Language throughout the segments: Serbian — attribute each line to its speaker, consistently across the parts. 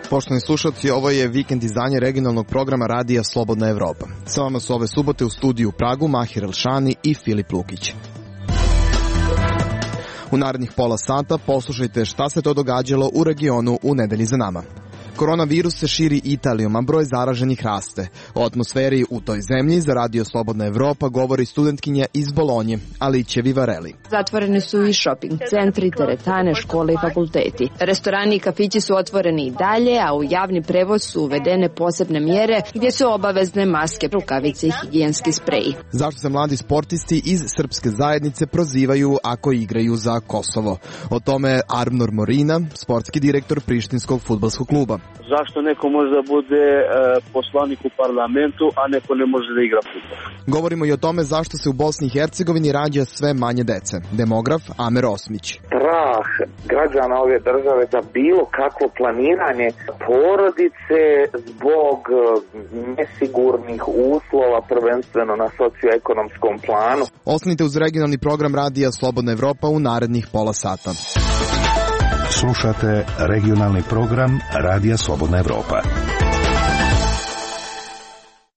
Speaker 1: Poštovani slušalci, ovo je vikend izdanje regionalnog programa radija Slobodna Evropa. Sa vama su ove subote u studiju u Pragu Mahir Elšani i Filip Lukić. U narednih pola sata poslušajte šta se to događalo u regionu u nedelji za nama. Koronavirus se širi Italijom, a broj zaraženih raste. O atmosferi u toj zemlji za radio Slobodna Evropa govori studentkinja iz Bolonje, Alice Vivarelli.
Speaker 2: Zatvoreni su i shopping centri, teretane, škole i fakulteti. Restorani i kafići su otvoreni i dalje, a u javni prevoz su uvedene posebne mjere gdje su obavezne maske, rukavice i higijenski spreji.
Speaker 1: Zašto se mladi sportisti iz srpske zajednice prozivaju ako igraju za Kosovo? O tome Arnor Morina, sportski direktor Prištinskog fudbalskog kluba.
Speaker 3: Zašto neko može da bude poslanik u parlamentu, a neko ne može da igra fudbal?
Speaker 1: Govorimo i o tome zašto se u Bosni i Hercegovini rađa sve manje dece. Demograf Amer Osmić.
Speaker 4: Strah građana ove države za bilo kakvo planiranje porodice zbog nesigurnih uslova, prvenstveno na socioekonomskom planu.
Speaker 1: Ostanite uz regionalni program radija Slobodna Evropa u narednih pola sata.
Speaker 5: Slušate regionalni program Radija Slobodna Evropa.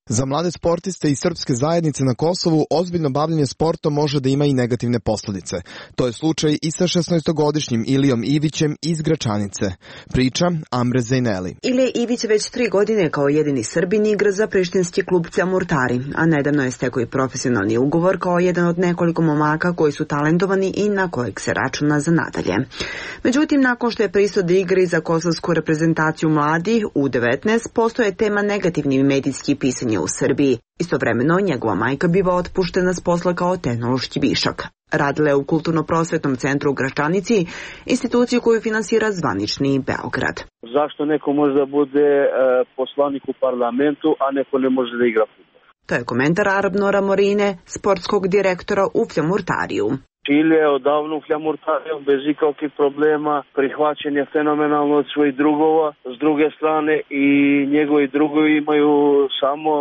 Speaker 1: Za mlade sportiste i srpske zajednice na Kosovu ozbiljno bavljenje sportom može da ima i negativne posljedice. To je slučaj i sa 16-godišnjim Ilijom Ivićem iz Gračanice. Priča Amre Zejneli.
Speaker 6: Ilija Ivić već 3 godine kao jedini Srbin igra za prištinski klub Camurtari, a nedavno je stekao i profesionalni ugovor kao jedan od nekoliko momaka koji su talentovani i na kojeg se računa za nadalje. Međutim, nakon što je pristao da igra za kosovsku reprezentaciju mladih U19, postoje tema negativni medijski pisanje u Srbiji. Istovremeno, njegova majka biva otpuštena s posla kao tehnološki višak. Radila je u Kulturno-prosvetnom centru u Gračanici, instituciju koju finansira zvanični Beograd.
Speaker 3: Zašto neko može da bude poslanik u parlamentu, a neko ne može da igra fudbal?
Speaker 6: To je komentar Arnora Morine, sportskog direktora u Camurtariju.
Speaker 3: Čile je odavno u Camurtariju bez ikakvih problema, prihvaćen je fenomenalno od svojih drugova, s druge strane i njegovi drugovi imaju samo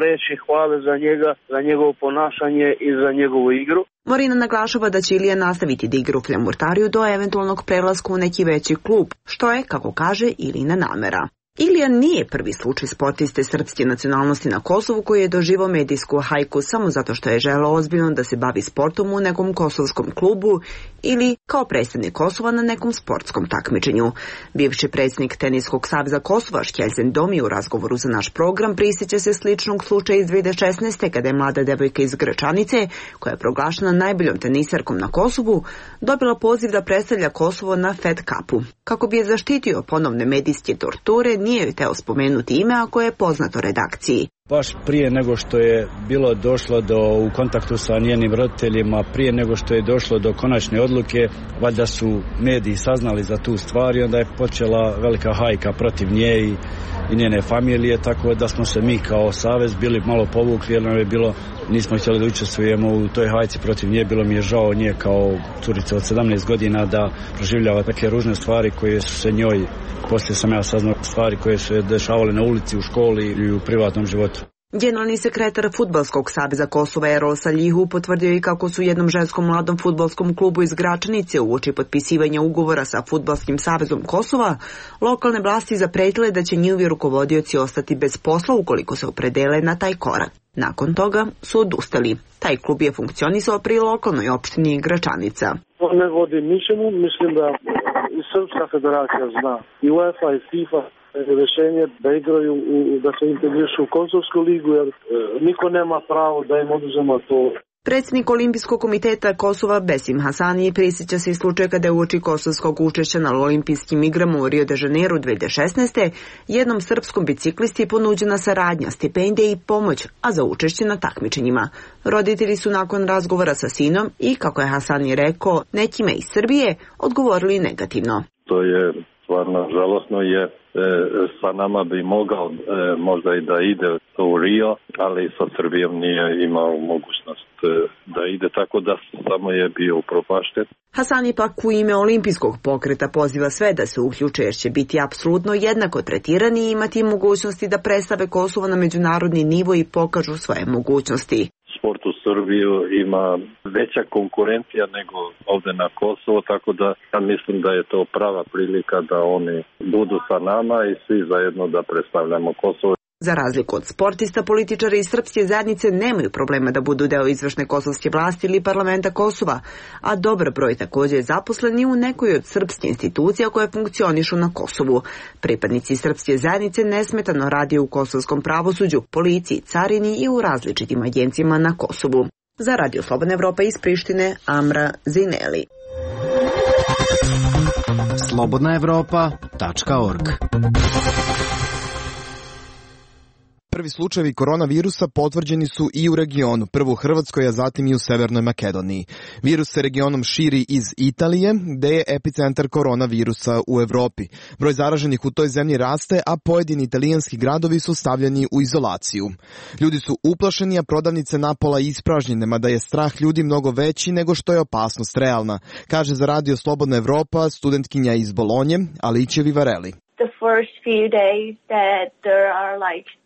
Speaker 3: reči hvale za njega, za njegovo ponašanje i za njegovu igru.
Speaker 6: Morina naglašava da će Ilija nastaviti da igra u Camurtariju do eventualnog prelaska u neki veći klub, što je, kako kaže, Ilina namera. Ilija nije prvi slučaj sportiste srpske nacionalnosti na Kosovu koji je doživao medijsku hajku samo zato što je želeo ozbiljno da se bavi sportom u nekom kosovskom klubu ili kao predstavnik Kosova na nekom sportskom takmičenju. Bivši predsjednik Teniskog saveza Kosova Šćelzen Domi u razgovoru za naš program prisjeća se sličnog slučaja iz 2016. kada je mlada devojka iz Gračanice, koja je proglašena najboljom tenisarkom na Kosovu, dobila poziv da predstavlja Kosovo na Fed Cupu. Kako bi je zaštitio ponovne medijske torture, nije joj teo spomenuti ime ako je poznato redakciji.
Speaker 7: Baš prije nego što je bilo došlo u kontaktu sa njenim roditeljima, prije nego što je došlo do konačne odluke, valjda su mediji saznali za tu stvar i onda je počela velika hajka protiv nje i njene familije, tako da smo se mi kao savez bili malo povukli jer nam je bilo, nismo htjeli da učestvujemo u toj hajci protiv nje, bilo mi je žao nje kao curica od 17 godina da proživljava takve ružne stvari koje su se njoj, poslije sam ja saznao, stvari koje su se dešavale na ulici, u školi i u privatnom životu.
Speaker 6: Generalni sekretar Fudbalskog saveza Kosova Erol Saljihu potvrdio i kako su jednom ženskom mladom fudbalskom klubu iz Gračanice uoči potpisivanja ugovora sa Fudbalskim savezom Kosova, lokalne vlasti zapretile da će njihovi rukovodioci ostati bez posla ukoliko se opredele na taj korak. Nakon toga su odustali. Taj klub je funkcionisao pri lokalnoj opštini Gračanica.
Speaker 3: To ne vodi ničemu, mislim da i Srpska federacija zna, i UEFA i FIFA rješenje da igraju, da se integrišu u Kosovsku ligu, jer niko nema pravo da im oduzema to.
Speaker 6: Predsjednik Olimpijskog komiteta Kosova Besim Hasani prisjeća se i slučaj kada je uoči kosovskog učešća na olimpijskim igrama u Rio de Janeiro 2016. jednom srpskom biciklisti ponuđena saradnja, stipendije i pomoć, a za učešće na takmičenjima. Roditelji su nakon razgovora sa sinom i, kako je Hasani rekao, nekime iz Srbije odgovorili negativno.
Speaker 8: To je stvarno žalosno, je sa nama bi mogao možda i da ide u Rio, ali sa Srbijom nije imao mogućnost da ide, tako da samo je bio upropašten.
Speaker 6: Hasani pak u ime olimpijskog pokreta poziva sve da se uključe jer će biti apsolutno jednako tretirani i imati mogućnosti da predstave Kosovo na međunarodni nivo i pokažu svoje mogućnosti.
Speaker 8: sport u Srbiju ima veća konkurencija nego ovde na Kosovo, tako da ja mislim da je to prava prilika da oni budu sa nama i svi zajedno da predstavljamo Kosovo.
Speaker 6: Za razliku od sportista, političari iz srpske zajednice nemaju problema da budu deo izvršne kosovske vlasti ili parlamenta Kosova, a dobar broj također je zaposleni u nekoj od srpskih institucija koje funkcionišu na Kosovu. Pripadnici srpske zajednice nesmetano radi u kosovskom pravosuđu, policiji, carini i u različitim agencijama na Kosovu. Za Radio Slobodna Evropa iz Prištine, Amra Zineli.
Speaker 9: slobodnaevropa.org.
Speaker 1: Prvi slučajevi koronavirusa potvrđeni su i u regionu, prvo u Hrvatskoj, a zatim i u Severnoj Makedoniji. Virus se regionom širi iz Italije, gde je epicentar koronavirusa u Evropi. Broj zaraženih u toj zemlji raste, a pojedini italijanski gradovi su stavljeni u izolaciju. Ljudi su uplašeni, a prodavnice napola ispražnjene, mada je strah ljudi mnogo veći nego što je opasnost realna, kaže za Radio Slobodna Evropa studentkinja iz Bolonje, Alice Vivarelli.
Speaker 10: The first few days that there are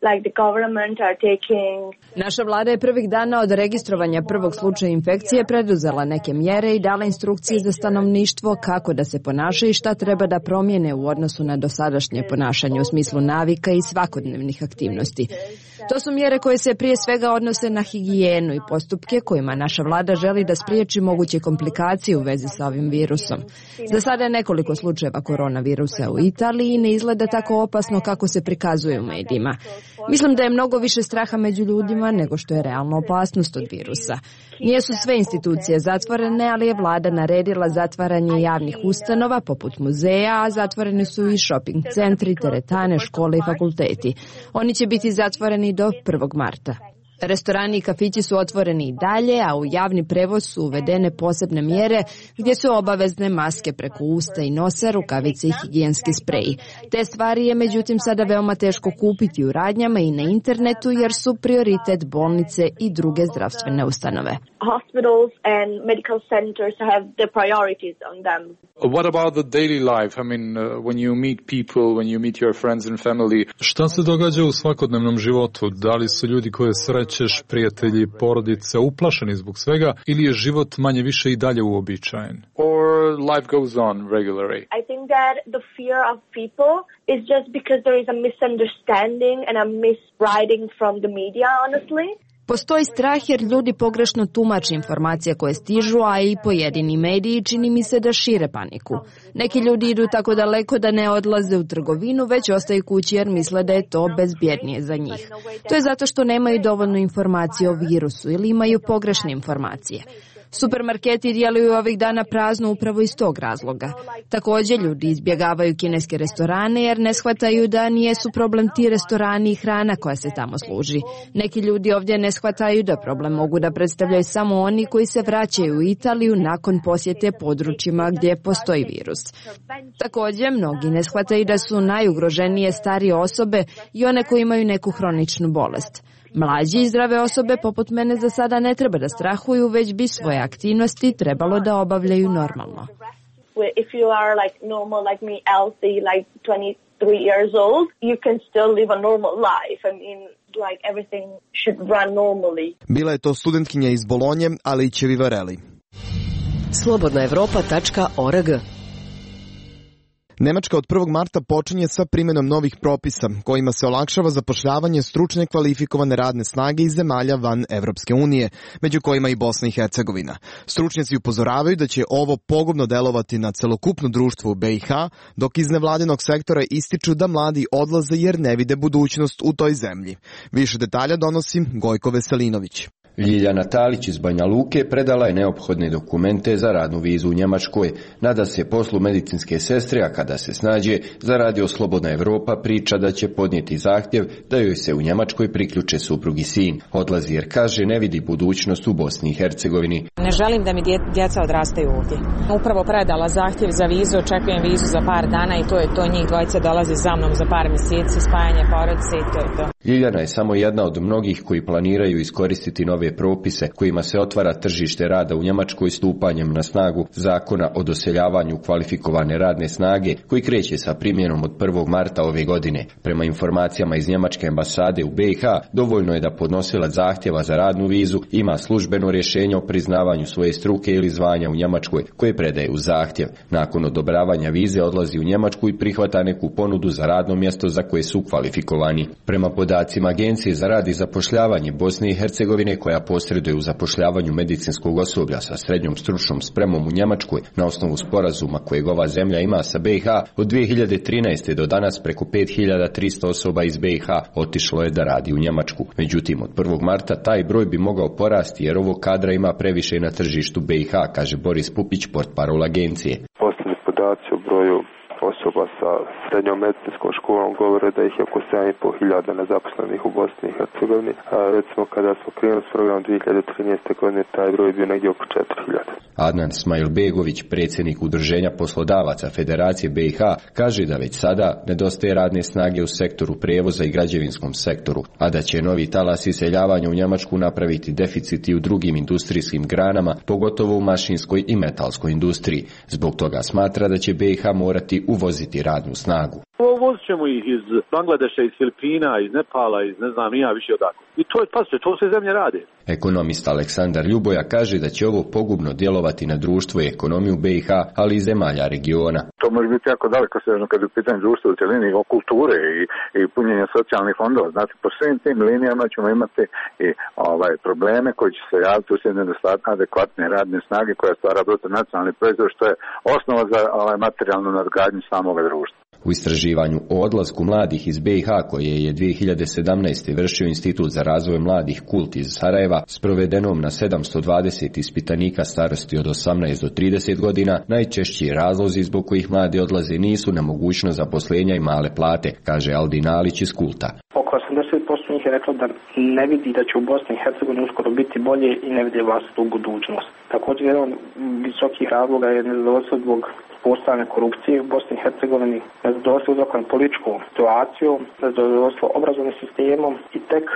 Speaker 10: like the government are taking.
Speaker 2: Naša vlada je prvih dana od registrovanja prvog slučaja infekcije preduzela neke mjere i dala instrukcije za stanovništvo kako da se ponaša i šta treba da promijene u odnosu na dosadašnje ponašanje u smislu navika i svakodnevnih aktivnosti. To su mjere koje se prije svega odnose na higijenu i postupke kojima naša vlada želi da spriječi moguće komplikacije u vezi sa ovim virusom. Za sada je nekoliko slučajeva koronavirusa u Italiji i ne izgleda tako opasno kako se prikazuje u medijima. Mislim da je mnogo više straha među ljudima nego što je realna opasnost od virusa. Nijesu sve institucije zatvorene, ali je vlada naredila zatvaranje javnih ustanova poput muzeja, a zatvoreni su i shopping centri, teretane, škole i fakulteti. Oni će biti zatvoreni do 1. marta. Restorani i kafići su otvoreni i dalje, a u javni prevoz su uvedene posebne mjere gdje su obavezne maske preko usta i nosa, rukavice i higijenski spreji. Te stvari je međutim sada veoma teško kupiti u radnjama i na internetu jer su prioritet bolnice i druge zdravstvene ustanove.
Speaker 10: Hospitals and medical centers have the priorities on them.
Speaker 11: What about the daily life? I mean, when you meet people, when you meet your friends and family.
Speaker 12: Šta se događa u svakodnevnom životu? Da li su ljudi koje srećeš, prijatelji, porodice uplašeni zbog svega ili je život manje više i dalje uobičajen?
Speaker 11: Or life goes on regularly?
Speaker 10: I think that the fear of people is just because there is a misunderstanding and a miswriting from the media, honestly.
Speaker 2: Postoji strah jer ljudi pogrešno tumače informacije koje stižu, a i pojedini mediji čini mi se da šire paniku. Neki ljudi idu tako daleko da ne odlaze u trgovinu, već ostaju kući jer misle da je to bezbjednije za njih. To je zato što nemaju dovoljno informacije o virusu ili imaju pogrešne informacije. Supermarketi djeluju ovih dana prazno upravo iz tog razloga. Također ljudi izbjegavaju kineske restorane jer ne shvataju da nijesu problem ti restorani i hrana koja se tamo služi. Neki ljudi ovdje ne shvataju da problem mogu da predstavljaju samo oni koji se vraćaju u Italiju nakon posjete područjima gdje postoji virus. Također mnogi ne shvataju da su najugroženije starije osobe i one koji imaju neku hroničnu bolest. Mlađi i zdrave osobe poput mene za sada ne treba da strahuju, već bi svoje aktivnosti trebalo da obavljaju normalno.
Speaker 10: If you are like normal, like me, healthy, like 23 years old, you can still live a normal life. I mean, like everything should run normally.
Speaker 1: Bila je to studentkinja iz Bolonje, Alice Vivarelli.
Speaker 9: slobodnaevropa.org.
Speaker 1: Nemačka od 1. marta počinje sa primjenom novih propisa, kojima se olakšava zapošljavanje stručne kvalifikovane radne snage iz zemalja van Evropske unije, među kojima i Bosna i Hercegovina. Stručnjaci upozoravaju da će ovo pogubno delovati na celokupno društvo u BiH, dok iz nevladinog sektora ističu da mladi odlaze jer ne vide budućnost u toj zemlji. Više detalja donosi Gojko Veselinović.
Speaker 13: Ljiljana Talić iz Banja Luke predala je neophodne dokumente za radnu vizu u Njemačkoj. Nada se poslu medicinske sestre, a kada se snađe, za Radio Slobodna Evropa priča da će podnijeti zahtjev da joj se u Njemačkoj priključe suprug i sin. Odlazi jer kaže ne vidi budućnost u Bosni i Hercegovini.
Speaker 14: Ne želim da mi djeca odrastaju ovdje. Upravo predala zahtjev za vizu, očekujem vizu za par dana i to je to. Njih dvojica dolaze za mnom za par mjeseci, spajanje porodice i to je to.
Speaker 13: Ljiljana je samo jedna od mnogih koji planiraju iskoristiti nove propise kojima se otvara tržište rada u Njemačkoj stupanjem na snagu zakona o doseljavanju kvalifikovane radne snage koji kreće sa primjenom od 1. marta ove godine. Prema informacijama iz Njemačke ambasade u BiH, dovoljno je da podnosilac zahtjeva za radnu vizu ima službeno rješenje o priznavanju svoje struke ili zvanja u Njemačkoj koje predaje u zahtjev. Nakon odobravanja vize odlazi u Njemačku i prihvata neku ponudu za radno mjesto za koje su kvalifikovani. Prema podacima Agencije za rad i zapošljavanje Bosne i Hercegovine koja posreduje u zapošljavanju medicinskog osoblja sa srednjom stručnom spremom u Njemačkoj na osnovu sporazuma kojeg ova zemlja ima sa BiH, od 2013. do danas preko 5300 osoba iz BiH otišlo je da radi u Njemačku. Međutim, od 1. marta taj broj bi mogao porasti jer ovog kadra ima previše na tržištu BiH, kaže Boris Pupić, portparol agencije.
Speaker 9: Posljednji podaci o broju osoba sa srednjom medicinskom školom govore da ih je oko 7.500 nezaposlenih u Bosni i Hercegovini. Recimo kada smo krenuli s programom 2013. godine taj broj je bio negdje oko 4.000.
Speaker 13: Adnan Smajlbegović, predsjednik Udruženja poslodavaca Federacije BiH, kaže da već sada nedostaje radne snage u sektoru prijevoza i građevinskom sektoru, a da će novi talas iseljavanja u Njemačku napraviti deficit i u drugim industrijskim granama, pogotovo u mašinskoj i metalskoj industriji. Zbog toga smatra da će BiH morati uvoziti radnu snagu.
Speaker 15: Uvozit ćemo ih iz Bangladeša, iz Filipina, iz Nepala, iz ne znam nija više odakle. I to je, pazite, to sve zemlje rade.
Speaker 13: Ekonomist Aleksandar Ljuboja kaže da će ovo pogubno djelovati na društvo i ekonomiju BiH, ali i zemalja regiona.
Speaker 16: To može biti jako daleko sežno kad je u pitanju društva u cjelini, o kulture i punjenja socijalnih fondova. Znači, po svim tim linijama ćemo imati i probleme koji će se javiti uslijed nedostatka adekvatne radne snage koja stvara bruto nacionalni proizvod, što je osnova za materijalnu nadgradnju samog društva.
Speaker 13: U istraživanju o odlasku mladih iz BiH koje je 2017. vršio Institut za razvoj mladih Kult iz Sarajeva s provedenom na 720 ispitanika starosti od 18 do 30 godina, najčešći razlozi zbog kojih mladi odlaze nisu nemogućnost zaposlenja i male plate, kaže Aldin Alić iz Kulta.
Speaker 17: Oko 80% njih je reklo da ne vidi da će u Bosni i Hercegovini uskoro biti bolje i ne vidi vlastitu budućnost. Također jedan visokih razloga je nezadovoljstvo zbog postojanja korupcije u Bosni i Hercegovini, nezadovoljstvo uzrokovano političkom situacijom, nezadovoljstvo obrazovnim sistemom i tek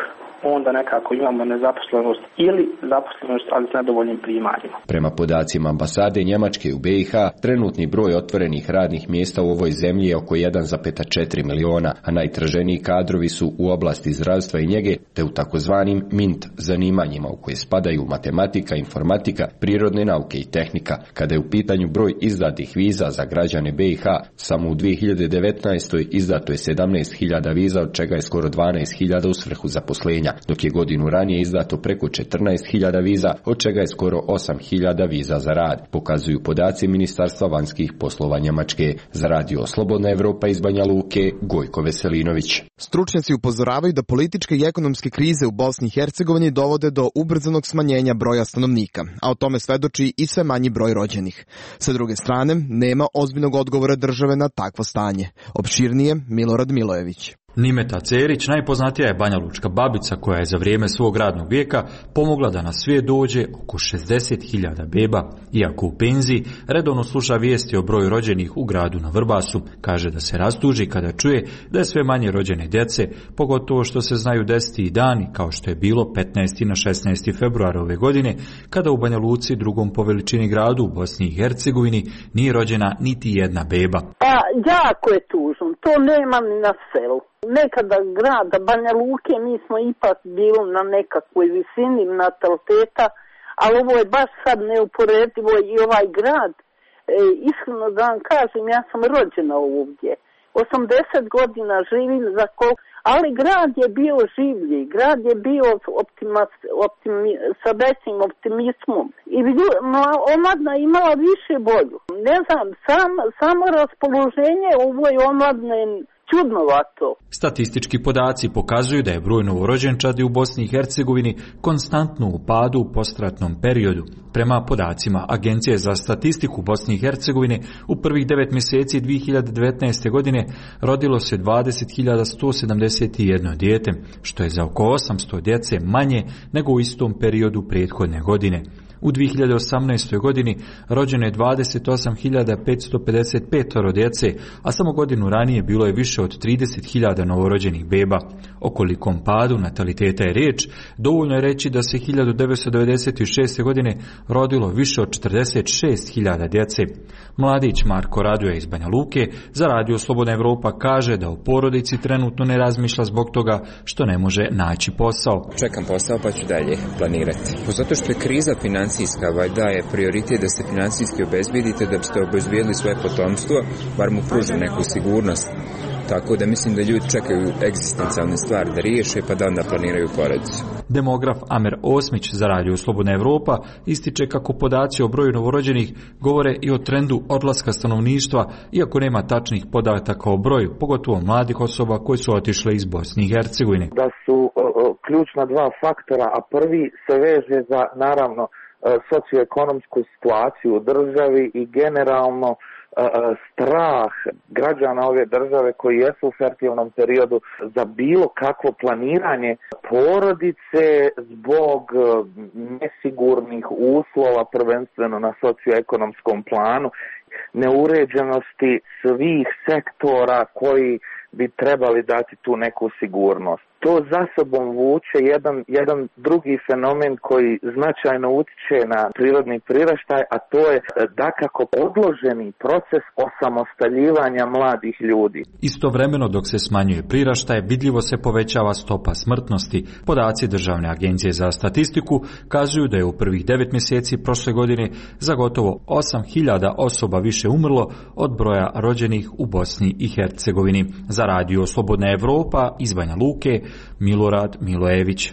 Speaker 17: onda nekako imamo nezaposlenost ili zaposlenost, ali s nedovoljnim primanjima.
Speaker 13: Prema podacima ambasade Njemačke u BiH, trenutni broj otvorenih radnih mjesta u ovoj zemlji je oko 1,4 miliona, a najtraženiji kadrovi su u oblasti zdravstva i njege, te u takozvanim MINT zanimanjima u koje spadaju matematika, informatika, prirodne nauke i tehnika. Kada je u pitanju broj izdatih viza za građane BiH, samo u 2019. izdato je 17.000 viza, od čega je skoro 12.000 u svrhu zaposlenja, dok je godinu ranije izdato preko 14.000 viza, od čega je skoro 8.000 viza za rad, pokazuju podaci Ministarstva vanjskih poslova Njemačke. Za Radio Slobodna Evropa iz Banja Luke, Gojko Veselinović.
Speaker 1: Stručnjaci upozoravaju da političke i ekonomske krize u Bosni i Hercegovini dovode do ubrzanog smanjenja broja stanovnika, a o tome svedoči i sve manji broj rođenih. Sa druge strane, nema ozbiljnog odgovora države na takvo stanje. Opširnije, Milorad Milojević.
Speaker 18: Nimeta Cerić, najpoznatija je banjalučka babica koja je za vrijeme svog radnog vijeka pomogla da na svijet dođe oko 60.000 beba. Iako u penziji, redovno sluša vijesti o broju rođenih u gradu na Vrbasu. Kaže da se rastuži kada čuje da je sve manje rođene djece, pogotovo što se znaju desiti i dani, kao što je bilo 15. na 16. februara ove godine, kada u Banja Luci, drugom po veličini gradu u Bosni i Hercegovini, nije rođena niti jedna beba.
Speaker 19: Jako je tužno, to nema ni na selu. Nekada grada Banja Luke mi smo ipak bili na nekakvoj visini nataliteta, ali ovo je baš sad neuporedivo i ovaj grad. Iskreno da vam kažem, ja sam rođena ovdje. 80 godina živim za ali grad je bio življi, grad je bio sa većim optimizmom i omladna imala više bolju. Ne znam, samo raspoloženje ovoj omladne čudnovato.
Speaker 18: Statistički podaci pokazuju da je broj novorođenčadi u Bosni i Hercegovini konstantno u padu u postratnom periodu. Prema podacima Agencije za statistiku Bosne i Hercegovine, u prvih 9 mjeseci 2019. godine rodilo se 20.171 dijete, što je za oko 800 djece manje nego u istom periodu prethodne godine. U 2018. godini rođeno je 28.555 djece, a samo godinu ranije bilo je više od 30.000 novorođenih beba. O kolikom padu nataliteta je riječ, dovoljno je reći da se 1996. godine rodilo više od 46.000 djece. Mladić Marko Radoja iz Banja Luke za Radio Slobodna Evropa kaže da u porodici trenutno ne razmišlja zbog toga što ne može naći posao.
Speaker 20: Čekam posao pa ću dalje planirati. Zato što je kriza financijska, daje prioritet da se financijski obezbedite da biste obezbedili svoje potomstvo, bar mu pruži neku sigurnost. Tako da mislim da ljudi čekaju egzistencijalne stvari da riješe pa da onda planiraju porodicu.
Speaker 18: Demograf Amer Osmić za Radio Slobodna Evropa ističe kako podaci o broju novorođenih govore i o trendu odlaska stanovništva, iako nema tačnih podataka o broju, pogotovo mladih osoba koji su otišle iz Bosne i Hercegovine.
Speaker 4: Da su ključna dva faktora, a prvi se veže za naravno socioekonomsku situaciju u državi i generalno strah građana ove države koji jesu u fertilnom periodu za bilo kakvo planiranje porodice zbog nesigurnih uslova, prvenstveno na socioekonomskom planu, neuređenosti svih sektora koji bi trebali dati tu neku sigurnost. To za sobom vuče jedan drugi fenomen koji značajno utiče na prirodni priraštaj, a to je dakako odloženi proces osamostaljivanja mladih ljudi.
Speaker 18: Istovremeno dok se smanjuje priraštaj, vidljivo se povećava stopa smrtnosti. Podaci Državne agencije za statistiku kazuju da je u prvih 9 mjeseci prošle godine za gotovo 8.000 osoba više umrlo od broja rođenih u Bosni i Hercegovini. Za Radio Slobodna Evropa iz Banja Luke, Milorad Milojević.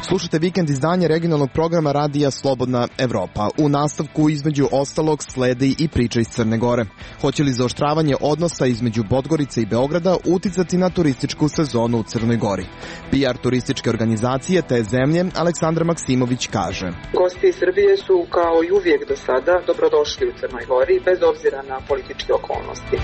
Speaker 1: Slušajte vikend izdanje regionalnog programa Radija Slobodna Evropa. U nastavku između ostalog sledi i priča iz Crne Gore. Hoće li zaoštravanje odnosa između Podgorice i Beograda uticati na turističku sezonu u Crnoj Gori? PR turističke organizacije te zemlje Aleksandar Maksimović kaže:
Speaker 21: Gosti iz Srbije su kao i uvijek do sada dobrodošli u Crnoj Gori bez obzira na političke okolnosti.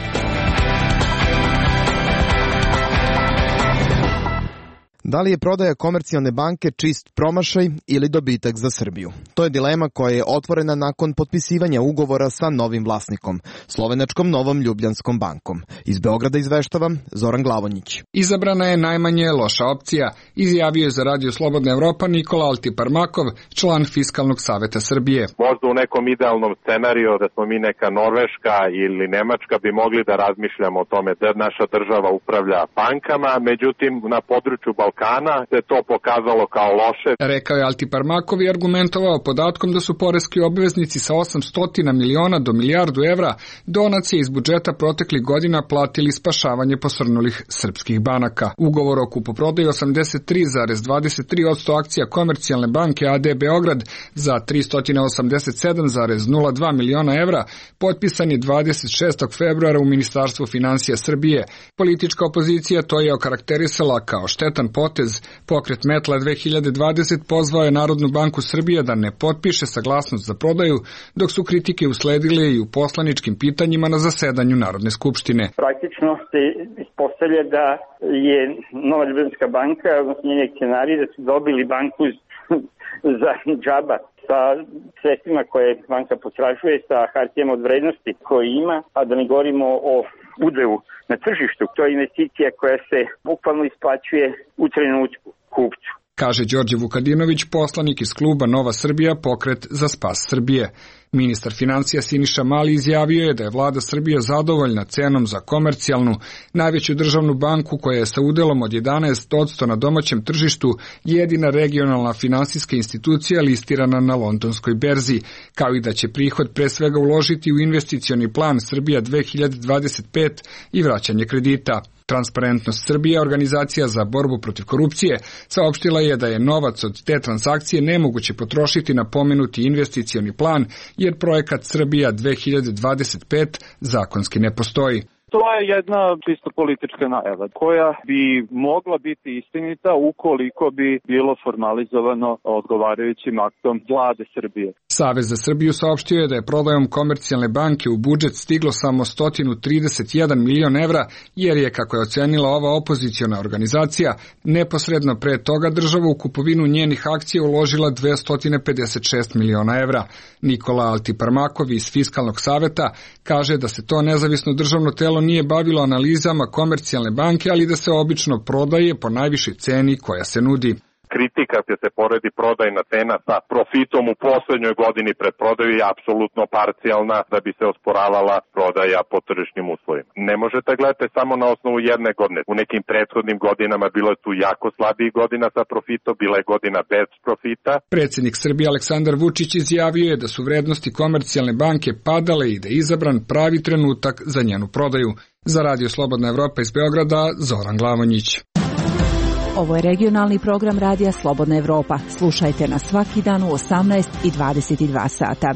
Speaker 1: Da li je prodaja Komercijalne banke čist promašaj ili dobitak za Srbiju? To je dilema koja je otvorena nakon potpisivanja ugovora sa novim vlasnikom, slovenačkom Novom Ljubljanskom bankom. Iz Beograda izveštava Zoran Glavonjić.
Speaker 22: Izabrana je najmanje loša opcija, izjavio je za Radio Slobodna Evropa Nikola Altiparmakov, član Fiskalnog saveta Srbije.
Speaker 23: Možda u nekom idealnom scenariju da smo mi neka Norveška ili Nemačka bi mogli da razmišljamo o tome da naša država upravlja bankama, međutim na području Balkana se to pokazalo kao loše.
Speaker 22: Rekao je Altiparmakov i argumentovao podatkom da su poreski obveznici sa 800 miliona do milijardu evra donacije iz budžeta proteklih godina platili spašavanje posrnulih srpskih banaka. Ugovor o kupoprodaji 83,23% akcija Komercijalne banke AD Beograd za 387,02 miliona evra potpisan je 26. februara u Ministarstvu finansija Srbije. Politička opozicija to je okarakterisala kao štetan potez. Pokret Metla 2020 pozvao je Narodnu banku Srbije da ne potpiše saglasnost za prodaju, dok su kritike usledile i u poslaničkim pitanjima na zasedanju Narodne skupštine.
Speaker 24: Praktično se ispostavlja da je Nova Ljubljanska banka, odnosno njeni akcionari, da su dobili banku za džaba sa sredstvima koje banka potražuje, sa hartijama od vrednosti koje ima, a da ne govorimo o udelu na tržištu. To je investicija koja se bukvalno isplaćuje u trenutku kupcu.
Speaker 22: Kaže Đorđe Vukadinović, poslanik iz kluba Nova Srbija, pokret za spas Srbije. Ministar financija Siniša Mali izjavio je da je vlada Srbije zadovoljna cenom za Komercijalnu, najveću državnu banku koja je sa udelom od 11% na domaćem tržištu jedina regionalna finansijska institucija listirana na londonskoj berzi, kao i da će prihod pre svega uložiti u investicioni plan Srbija 2025 i vraćanje kredita. Transparentnost Srbije, organizacija za borbu protiv korupcije, saopštila je da je novac od te transakcije nemoguće potrošiti na pomenuti investicioni plan, jer projekat Srbija 2025 zakonski ne postoji.
Speaker 23: To je jedna čisto politička najava koja bi mogla biti istinita ukoliko bi bilo formalizovano odgovarajućim aktom vlade Srbije.
Speaker 22: Savez za Srbiju saopštio je da je prodajom Komercijalne banke u budžet stiglo samo 131 milion evra, jer je, kako je ocenila ova opoziciona organizacija, neposredno pre toga država u kupovinu njenih akcija uložila 256 miliona evra. Nikola Altiparmakov iz Fiskalnog saveta kaže da se to nezavisno državno telo nije bavilo analizama Komercijalne banke, ali da se obično prodaje po najvišoj ceni koja se nudi.
Speaker 23: Kritika gdje se poredi prodajna cena sa profitom u poslednjoj godini pred prodaju je apsolutno parcijalna da bi se osporavala prodaja po tržišnim uslovima. Ne možete gledati samo na osnovu jedne godine. U nekim prethodnim godinama bilo je tu jako slabih godina sa profitom, bila je godina bez profita.
Speaker 22: Predsjednik Srbije Aleksandar Vučić izjavio je da su vrednosti Komercijalne banke padale i da je izabran pravi trenutak za njenu prodaju. Za Radio Slobodna Evropa iz Beograda, Zoran Glavonjić.
Speaker 3: Ovo je regionalni program Radija Slobodna Evropa. Slušajte nas svaki dan u 18 i 22 sata.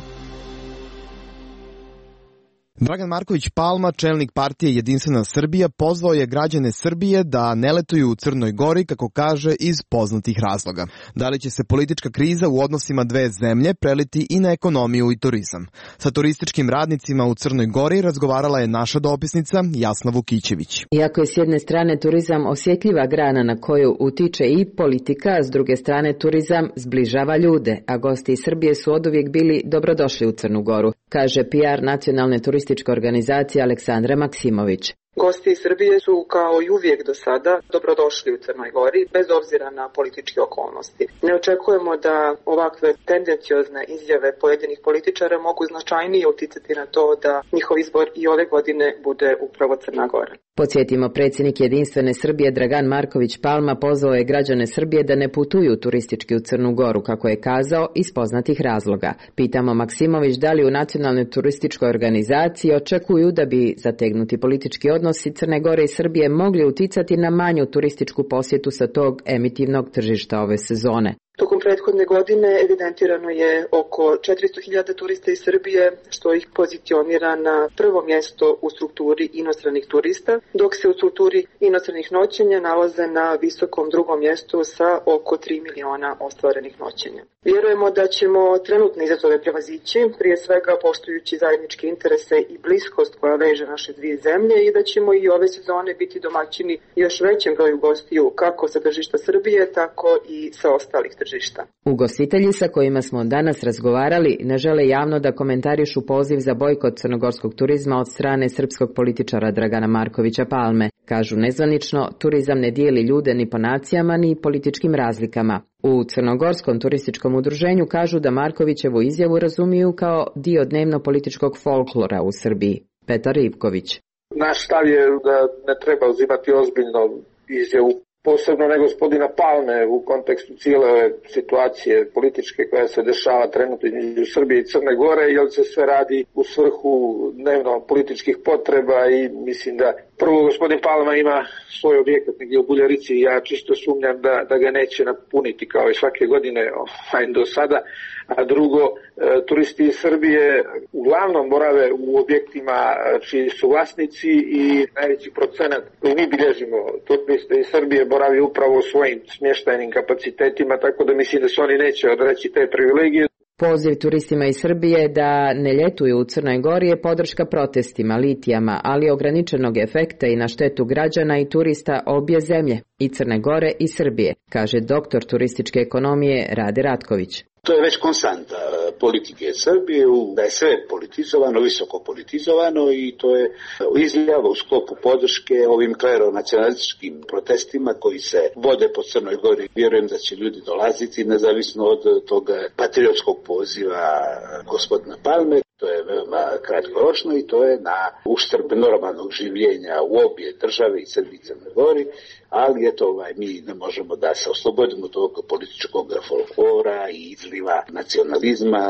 Speaker 1: Dragan Marković Palma, čelnik partije Jedinstvena Srbija, pozvao je građane Srbije da ne letuju u Crnoj Gori, kako kaže, iz poznatih razloga. Da li će se politička kriza u odnosima dve zemlje preliti i na ekonomiju i turizam? Sa turističkim radnicima u Crnoj Gori razgovarala je naša dopisnica Jasna Vukićević.
Speaker 2: Iako je s jedne strane turizam osjetljiva grana na koju utiče i politika, s druge strane turizam zbližava ljude, a gosti iz Srbije su oduvijek bili dobrodošli u Crnu Goru, kaže PR nacionalne turističke organizacije Aleksandra Maksimović.
Speaker 21: Gosti iz Srbije su kao i uvijek do sada dobrodošli u Crnoj Gori, bez obzira na političke okolnosti. Ne očekujemo da ovakve tendenciozne izjave pojedinih političara mogu značajnije uticati na to da njihov izbor i ove godine bude upravo Crna Gora.
Speaker 2: Podsjetimo, predsjednik Jedinstvene Srbije Dragan Marković Palma pozvao je građane Srbije da ne putuju turistički u Crnu Goru, kako je kazao, iz poznatih razloga. Pitamo Maksimović da li u nacionalnoj turističkoj organizaciji očekuju da bi zategnuti politički odnosi Crne Gore i Srbije mogli uticati na manju turističku posjetu sa tog emitivnog tržišta ove sezone.
Speaker 21: Tokom prethodne godine evidentirano je oko 400.000 turista iz Srbije, što ih pozicionira na prvo mjesto u strukturi inostranih turista, dok se u strukturi inostranih noćenja nalaze na visokom drugom mjestu sa oko 3 miliona ostvarenih noćenja. Vjerujemo da ćemo trenutne izazove prevazići, prije svega poštujući zajedničke interese i bliskost koja veže naše dvije zemlje, i da ćemo i ove sezone biti domaćini još većem broju gostiju kako sa tržišta Srbije, tako i sa ostalih tržišta.
Speaker 2: Ugostitelji sa kojima smo danas razgovarali ne žele javno da komentarišu poziv za bojkot crnogorskog turizma od strane srpskog političara Dragana Markovića Palme. Kažu nezvanično, turizam ne dijeli ljude ni po nacijama ni političkim razlikama. U Crnogorskom turističkom udruženju kažu da Markovićevu izjavu razumiju kao dio dnevno-političkog folklora u Srbiji. Petar Ivković.
Speaker 5: Naš stav je da ne treba uzimati ozbiljno izjavu, posebno ne gospodina Palme, u kontekstu cijele ove situacije političke koja se dešava trenutno između Srbije i Crne Gore, jer se sve radi u svrhu dnevno političkih potreba i mislim da prvo gospodin Palma ima svoj objekat negdje u Buljarici i ja čisto sumnjam da ga neće napuniti kao i svake godine do sada, a drugo, turisti iz Srbije uglavnom borave u objektima čiji su vlasnici i najveći procenat koji mi bilježimo turiste iz Srbije boravi upravo u svojim smještajnim kapacitetima, tako da mislim da se oni neće odreći te privilegije.
Speaker 2: Poziv turistima iz Srbije da ne ljetuju u Crnoj Gori je podrška protestima, litijama, ali ograničenog efekta i na štetu građana i turista obje zemlje, i Crne Gore i Srbije, kaže doktor turističke ekonomije Rade Ratković.
Speaker 7: To je već konstanta politike Srbije, da je sve politizovano, visoko politizovano, i to je izjava u sklopu podrške ovim kleronacionalističkim protestima koji se vode po Crnoj Gori. Vjerujem da će ljudi dolaziti nezavisno od tog patriotskog poziva gospodina Palme. To je veoma kratkoročno i to je na uštrb normalnog življenja u obje države i Srbiji i Crnoj Gori, ali eto, mi ne možemo da se oslobodimo tog političkog folklora i izliva nacionalizma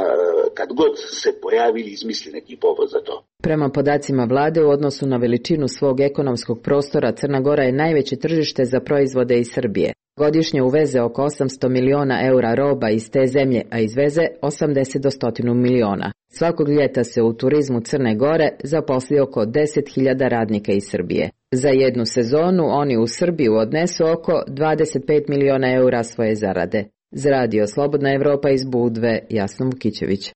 Speaker 7: kad god se pojavi ili izmisli neki povod za to.
Speaker 2: Prema podacima vlade, u odnosu na veličinu svog ekonomskog prostora, Crna Gora je najveće tržište za proizvode iz Srbije. Godišnje uveze oko 800 miliona eura roba iz te zemlje, a izveze 80 do 100 miliona. Svakog ljeta se u turizmu Crne Gore zaposli oko 10.000 radnika iz Srbije. Za jednu sezonu oni u Srbiju odnesu oko 25 miliona eura svoje zarade.
Speaker 6: Za radio Slobodna Evropa iz Budve, Jasna Vukićević.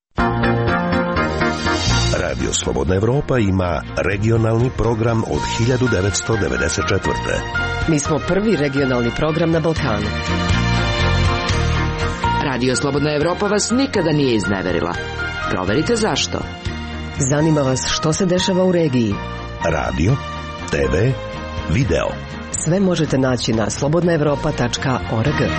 Speaker 8: Radio Slobodna Evropa ima regionalni program od 1994.
Speaker 11: Mi smo prvi regionalni program na Balkanu.
Speaker 12: Radio Slobodna Evropa vas nikada nije izneverila. Proverite zašto.
Speaker 11: Zanima vas što se dešava u regiji.
Speaker 8: Radio, TV, video.
Speaker 11: Sve možete naći na slobodnaevropa.org.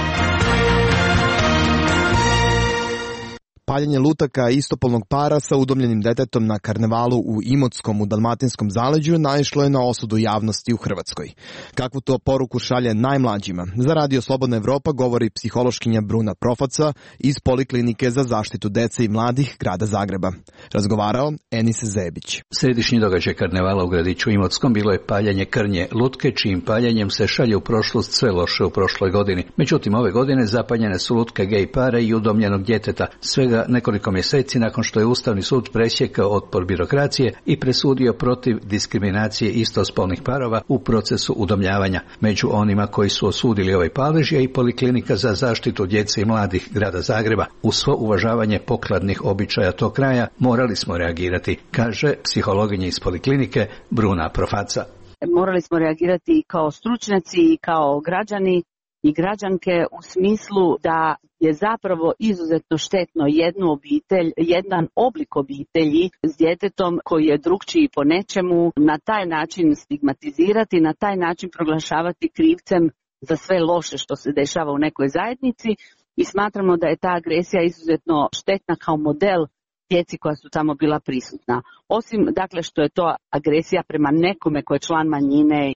Speaker 1: Paljenje lutaka istopolnog para sa udomljenim detetom na karnevalu u Imotskom u Dalmatinskom zaleđu naišlo je na osudu javnosti u Hrvatskoj. Kakvu to poruku šalje najmlađima? Za Radio Slobodna Evropa govori psihološkinja Bruna Profaca iz Poliklinike za zaštitu dece i mladih grada Zagreba. Razgovarao Enis Zebić.
Speaker 25: Središnji događaj karnevala u gradiću Imotskom bilo je paljenje krnje lutke, čijim paljenjem se šalje u prošlost sve loše u prošloj godini. Međutim, ove godine zapaljene su lutke gej para i udomljenog djeteta. Svega nekoliko mjeseci nakon što je Ustavni sud presjekao otpor birokracije i presudio protiv diskriminacije istospolnih parova u procesu udomljavanja. Među onima koji su osudili ovaj palež je i Poliklinika za zaštitu djece i mladih grada Zagreba. Uz svo uvažavanje pokladnih običaja tog kraja morali smo reagirati, kaže psihologinja iz Poliklinike Bruna Profaca.
Speaker 26: Morali smo reagirati i kao stručnjaci i kao građani i građanke u smislu da je zapravo izuzetno štetno jednu obitelj, jedan oblik obitelji s djetetom koji je drukčiji po nečemu, na taj način stigmatizirati, na taj način proglašavati krivcem za sve loše što se dešava u nekoj zajednici i smatramo da je ta agresija izuzetno štetna kao model djeci koja su tamo bila prisutna. Osim, dakle, što je to agresija prema nekome ko je član manjine,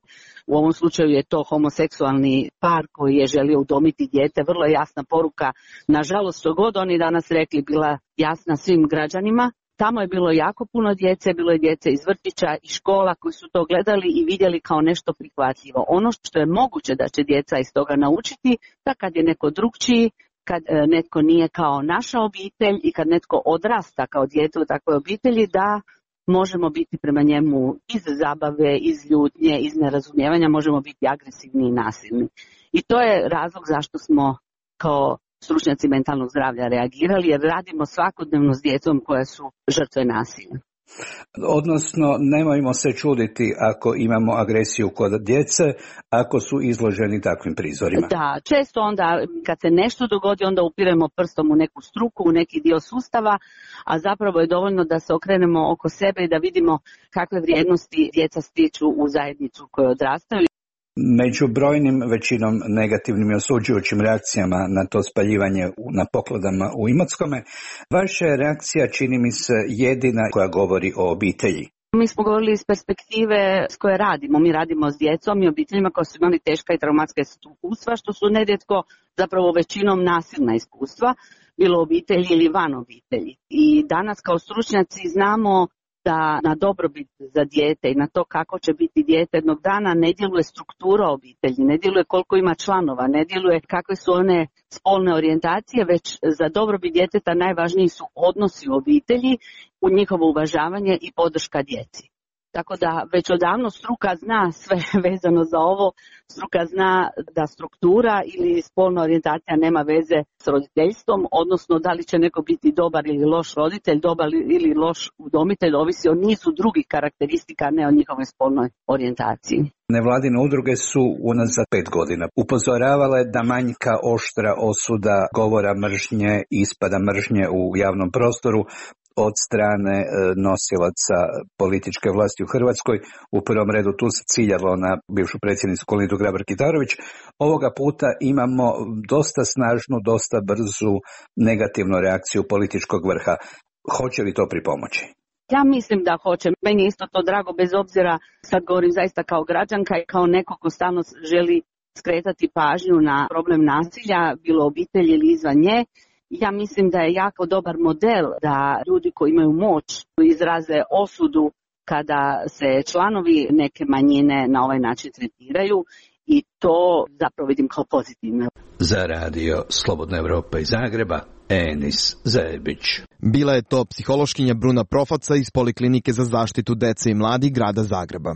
Speaker 26: u ovom slučaju je to homoseksualni par koji je želio udomiti dijete, vrlo je jasna poruka, nažalost, što god oni danas rekli, bila jasna svim građanima. Tamo je bilo jako puno djece, bilo je djece iz vrtića i škola koji su to gledali i vidjeli kao nešto prihvatljivo. Ono što je moguće da će djeca iz toga naučiti, da kad je neko drugčiji, kad netko nije kao naša obitelj i kad netko odrasta kao dijete u takvoj obitelji, da možemo biti prema njemu iz zabave, iz ljutnje, iz nerazumijevanja, možemo biti agresivni i nasilni. I to je razlog zašto smo kao stručnjaci mentalnog zdravlja reagirali, jer radimo svakodnevno s djecom koja su žrtve nasilja.
Speaker 25: Odnosno, nemojmo se čuditi ako imamo agresiju kod djece, ako su izloženi takvim prizorima.
Speaker 26: Da, često onda kad se nešto dogodi, onda upiremo prstom u neku struku, u neki dio sustava, a zapravo je dovoljno da se okrenemo oko sebe i da vidimo kakve vrijednosti djeca stiču u zajednicu koju odrastaju.
Speaker 25: Među brojnim većinom negativnim i osuđujućim reakcijama na to spaljivanje na pokladama u Imotskome, vaša reakcija čini mi se jedina koja govori o obitelji.
Speaker 26: Mi smo govorili iz perspektive s koje radimo. Mi radimo s djecom i obiteljima koji su imali teška i traumatska iskustva, što su nerijetko zapravo većinom nasilna iskustva, bilo obitelji ili van obitelji. I danas kao stručnjaci znamo da na dobrobit za dijete i na to kako će biti dijete jednog dana ne djeluje struktura obitelji, ne djeluje koliko ima članova, ne djeluje kakve su one spolne orijentacije, već za dobrobit djeteta najvažniji su odnosi u obitelji, u njihovo uvažavanje i podrška djeci. Tako da već odavno struka zna sve vezano za ovo, struka zna da struktura ili spolna orijentacija nema veze s roditeljstvom, odnosno da li će neko biti dobar ili loš roditelj, dobar ili loš udomitelj, ovisi o nizu drugih karakteristika, ne o njihovoj spolnoj orijentaciji.
Speaker 25: Nevladine udruge su unazad 5 godina upozoravale da manjka oštra osuda govora mržnje i ispada mržnje u javnom prostoru od strane nosilaca političke vlasti u Hrvatskoj. U prvom redu tu se ciljalo na bivšu predsjednicu Kolindu Grabar-Kitarović. Ovoga puta imamo dosta snažnu, dosta brzu negativnu reakciju političkog vrha. Hoće li to pripomoći?
Speaker 26: Ja mislim da hoće. Meni je isto to drago, bez obzira, sad govorim zaista kao građanka i kao neko ko stalno želi skretati pažnju na problem nasilja, bilo obitelji ili izvan nje. Ja mislim da je jako dobar model da ljudi koji imaju moć izraze osudu kada se članovi neke manjine na ovaj način tretiraju i to zapravo vidim kao pozitivno.
Speaker 25: Za radio Slobodna Evropa iz Zagreba, Enis Zebić.
Speaker 1: Bila je to psihološkinja Bruna Profaca iz Poliklinike za zaštitu dece i mladih grada Zagreba.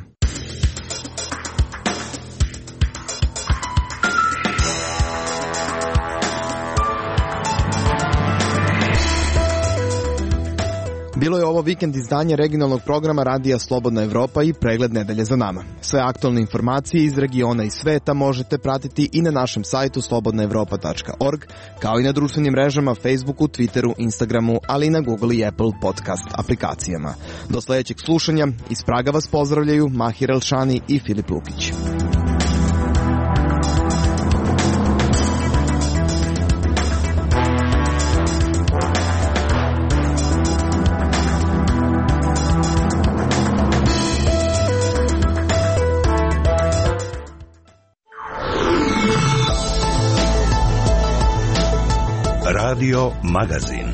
Speaker 1: Bilo je ovo vikend izdanje regionalnog programa Radija Slobodna Evropa i pregled nedelje za nama. Sve aktualne informacije iz regiona i sveta možete pratiti i na našem sajtu slobodnaevropa.org, kao i na društvenim mrežama Facebooku, Twitteru, Instagramu, ali i na Google i Apple podcast aplikacijama. Do sledećeg slušanja, iz Praga vas pozdravljaju Mahir Elšani i Filip Lukić.
Speaker 8: Radio Magazin.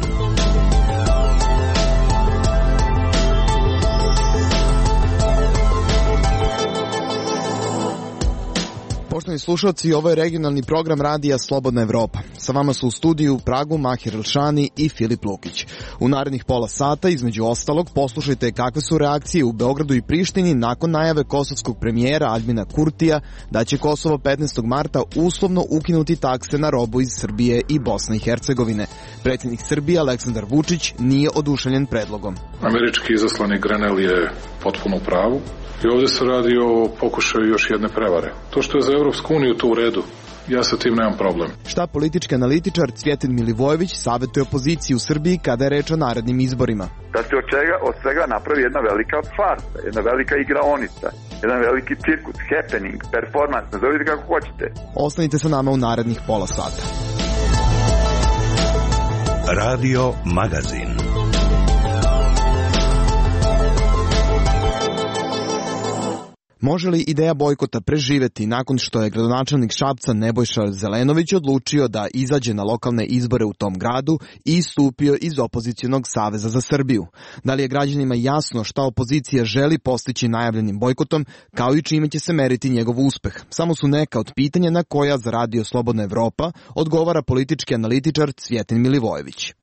Speaker 1: Poštovani slušalci, ovo je regionalni program Radija Slobodna Evropa. Sa vama su u studiju u Pragu Mahir Elšani i Filip Lukić. U narednih pola sata, između ostalog, poslušajte kakve su reakcije u Beogradu i Prištini nakon najave kosovskog premijera Aljbina Kurtija da će Kosovo 15. marta uslovno ukinuti takse na robu iz Srbije i Bosne i Hercegovine. Predsjednik Srbije Aleksandar Vučić nije oduševljen predlogom.
Speaker 9: Američki izaslanik Grenell je potpuno u pravu. I ovdje se radi o pokušaju još jedne prevare. To što je za Evropsku uniju to u redu, ja sa tim nemam problem.
Speaker 1: Šta politički analitičar Cvjetin Milivojević savjetuje opoziciji u Srbiji kada je reč o narednim izborima?
Speaker 10: Da se od svega napravi jedna velika farsa, jedna velika igraonica, jedan veliki cirkus, happening, performance, nazovite kako hoćete.
Speaker 1: Ostanite sa nama u narednih pola sata.
Speaker 8: Radio Magazin.
Speaker 1: Može li ideja bojkota preživeti nakon što je gradonačelnik Šapca Nebojša Zelenović odlučio da izađe na lokalne izbore u tom gradu i istupio iz opozicionog Saveza za Srbiju? Da li je građanima jasno šta opozicija želi postići najavljenim bojkotom, kao i čime će se meriti njegov uspeh? Samo su neka od pitanja na koja za Radio Slobodna Evropa odgovara politički analitičar Cvjetin Milivojević.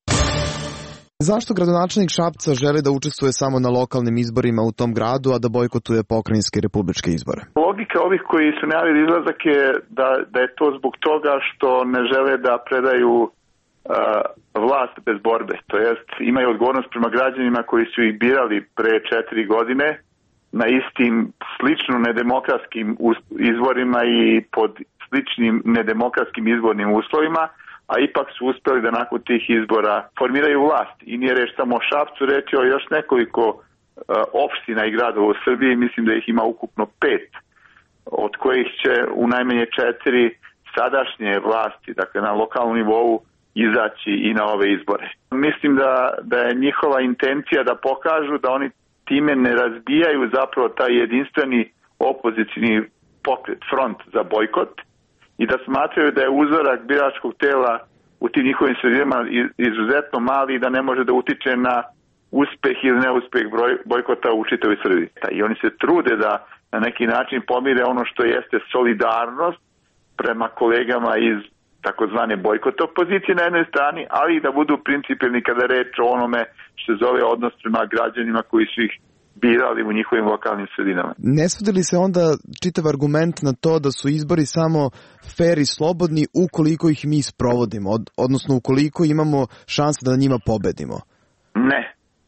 Speaker 1: Zašto gradonačelnik Šapca želi da učestvuje samo na lokalnim izborima u tom gradu, a da bojkotuje pokrajinske i republičke izbore?
Speaker 10: Logika ovih koji su najavili izlazak je da je to zbog toga što ne žele da predaju vlast bez borbe. To jest imaju odgovornost prema građanima koji su ih birali pre 4 godine na istim slično nedemokratskim izborima i pod sličnim nedemokratskim izbornim uslovima, a ipak su uspeli da nakon tih izbora formiraju vlast. I nije reč samo o Šapcu, reč je o još nekoliko opština i gradova u Srbiji, mislim da ih ima ukupno 5, od kojih će u najmanje 4 sadašnje vlasti, dakle na lokalnom nivou, izaći i na ove izbore. Mislim da je njihova intencija da pokažu da oni time ne razbijaju zapravo taj jedinstveni opozicioni pokret, front za bojkot, i da smatraju da je uzorak biračkog tela u tim njihovim sredinama izuzetno mali i da ne može da utiče na uspeh ili neuspeh bojkota u čitavoj Srbiji. I oni se trude da na neki način pomire ono što jeste solidarnost prema kolegama iz takozvane bojkota opozicije na jednoj strani, ali i da budu principijelni kada reč o onome što se zove odnos prema građanima koji su ih birali u njihovim lokalnim sredinama.
Speaker 1: Ne svodi li se onda čitav argument na to da su izbori samo fer i slobodni ukoliko ih mi sprovodimo, odnosno ukoliko imamo šanse da na njima pobedimo?
Speaker 10: Ne,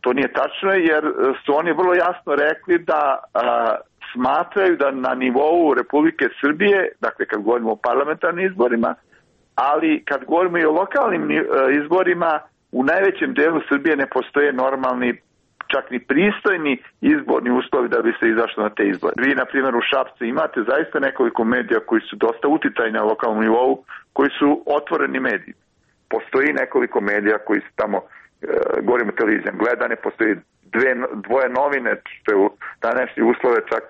Speaker 10: to nije tačno, jer su oni vrlo jasno rekli da smatraju da na nivou Republike Srbije, dakle kad govorimo o parlamentarnim izborima, ali kad govorimo i o lokalnim izborima, u najvećem delu Srbije ne postoje normalni, čak ni pristojni izborni uslovi da bi se izašlo na te izbore. Vi, na primjer, u Šapcu imate zaista nekoliko medija koji su dosta uticajni na lokalnom nivou, koji su otvoreni mediji. Postoji nekoliko medija koji su tamo, govorimo o televizijom, gledane, postoji dvoje novine, što je u današnje uslove čak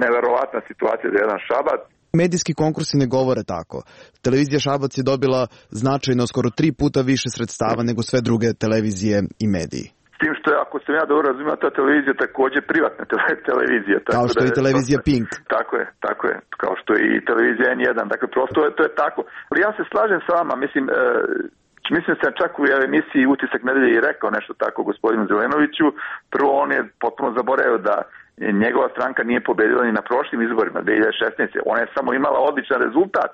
Speaker 10: neverovatna situacija za jedan Šabac.
Speaker 1: Medijski konkursi ne govore tako. Televizija Šabac je dobila značajno skoro 3 puta više sredstava nego sve druge televizije i mediji.
Speaker 10: S tim što je, ako sam ja dobro razumio, ta televizija također privatna televizija.
Speaker 1: Kao što je i televizija Pink.
Speaker 10: Tako je. Kao što je i televizija N1. Dakle, prosto to je tako. Ali ja se slažem s vama, mislim sam čak u emisiji Utisak nedelje i rekao nešto tako gospodinu Zelenoviću. Prvo, on je potpuno zaboravio da njegova stranka nije pobedila ni na prošlim izborima 2016. Ona je samo imala odličan rezultat,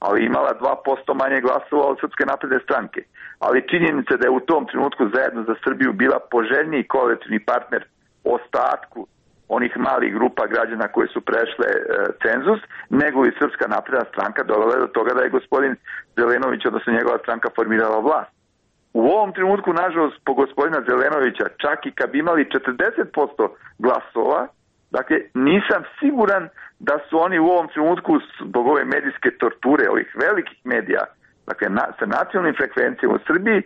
Speaker 10: ali imala 2% manje glasova od Srpske napredne stranke. Ali činjenica da je u tom trenutku Zajedno za Srbiju bila poželjniji koalicijni partner ostatku onih malih grupa građana koji su prešle cenzus, nego i Srpska napredna stranka dovela do toga da je gospodin Zelenović, odnosno njegova stranka, formirala vlast. U ovom trenutku, nažalost, po gospodina Zelenovića, čak i kad bi imali 40% glasova, dakle, nisam siguran da su oni u ovom trenutku, zbog ove medijske torture, ovih velikih medija, dakle, sa nacionalnim frekvencijama u Srbiji,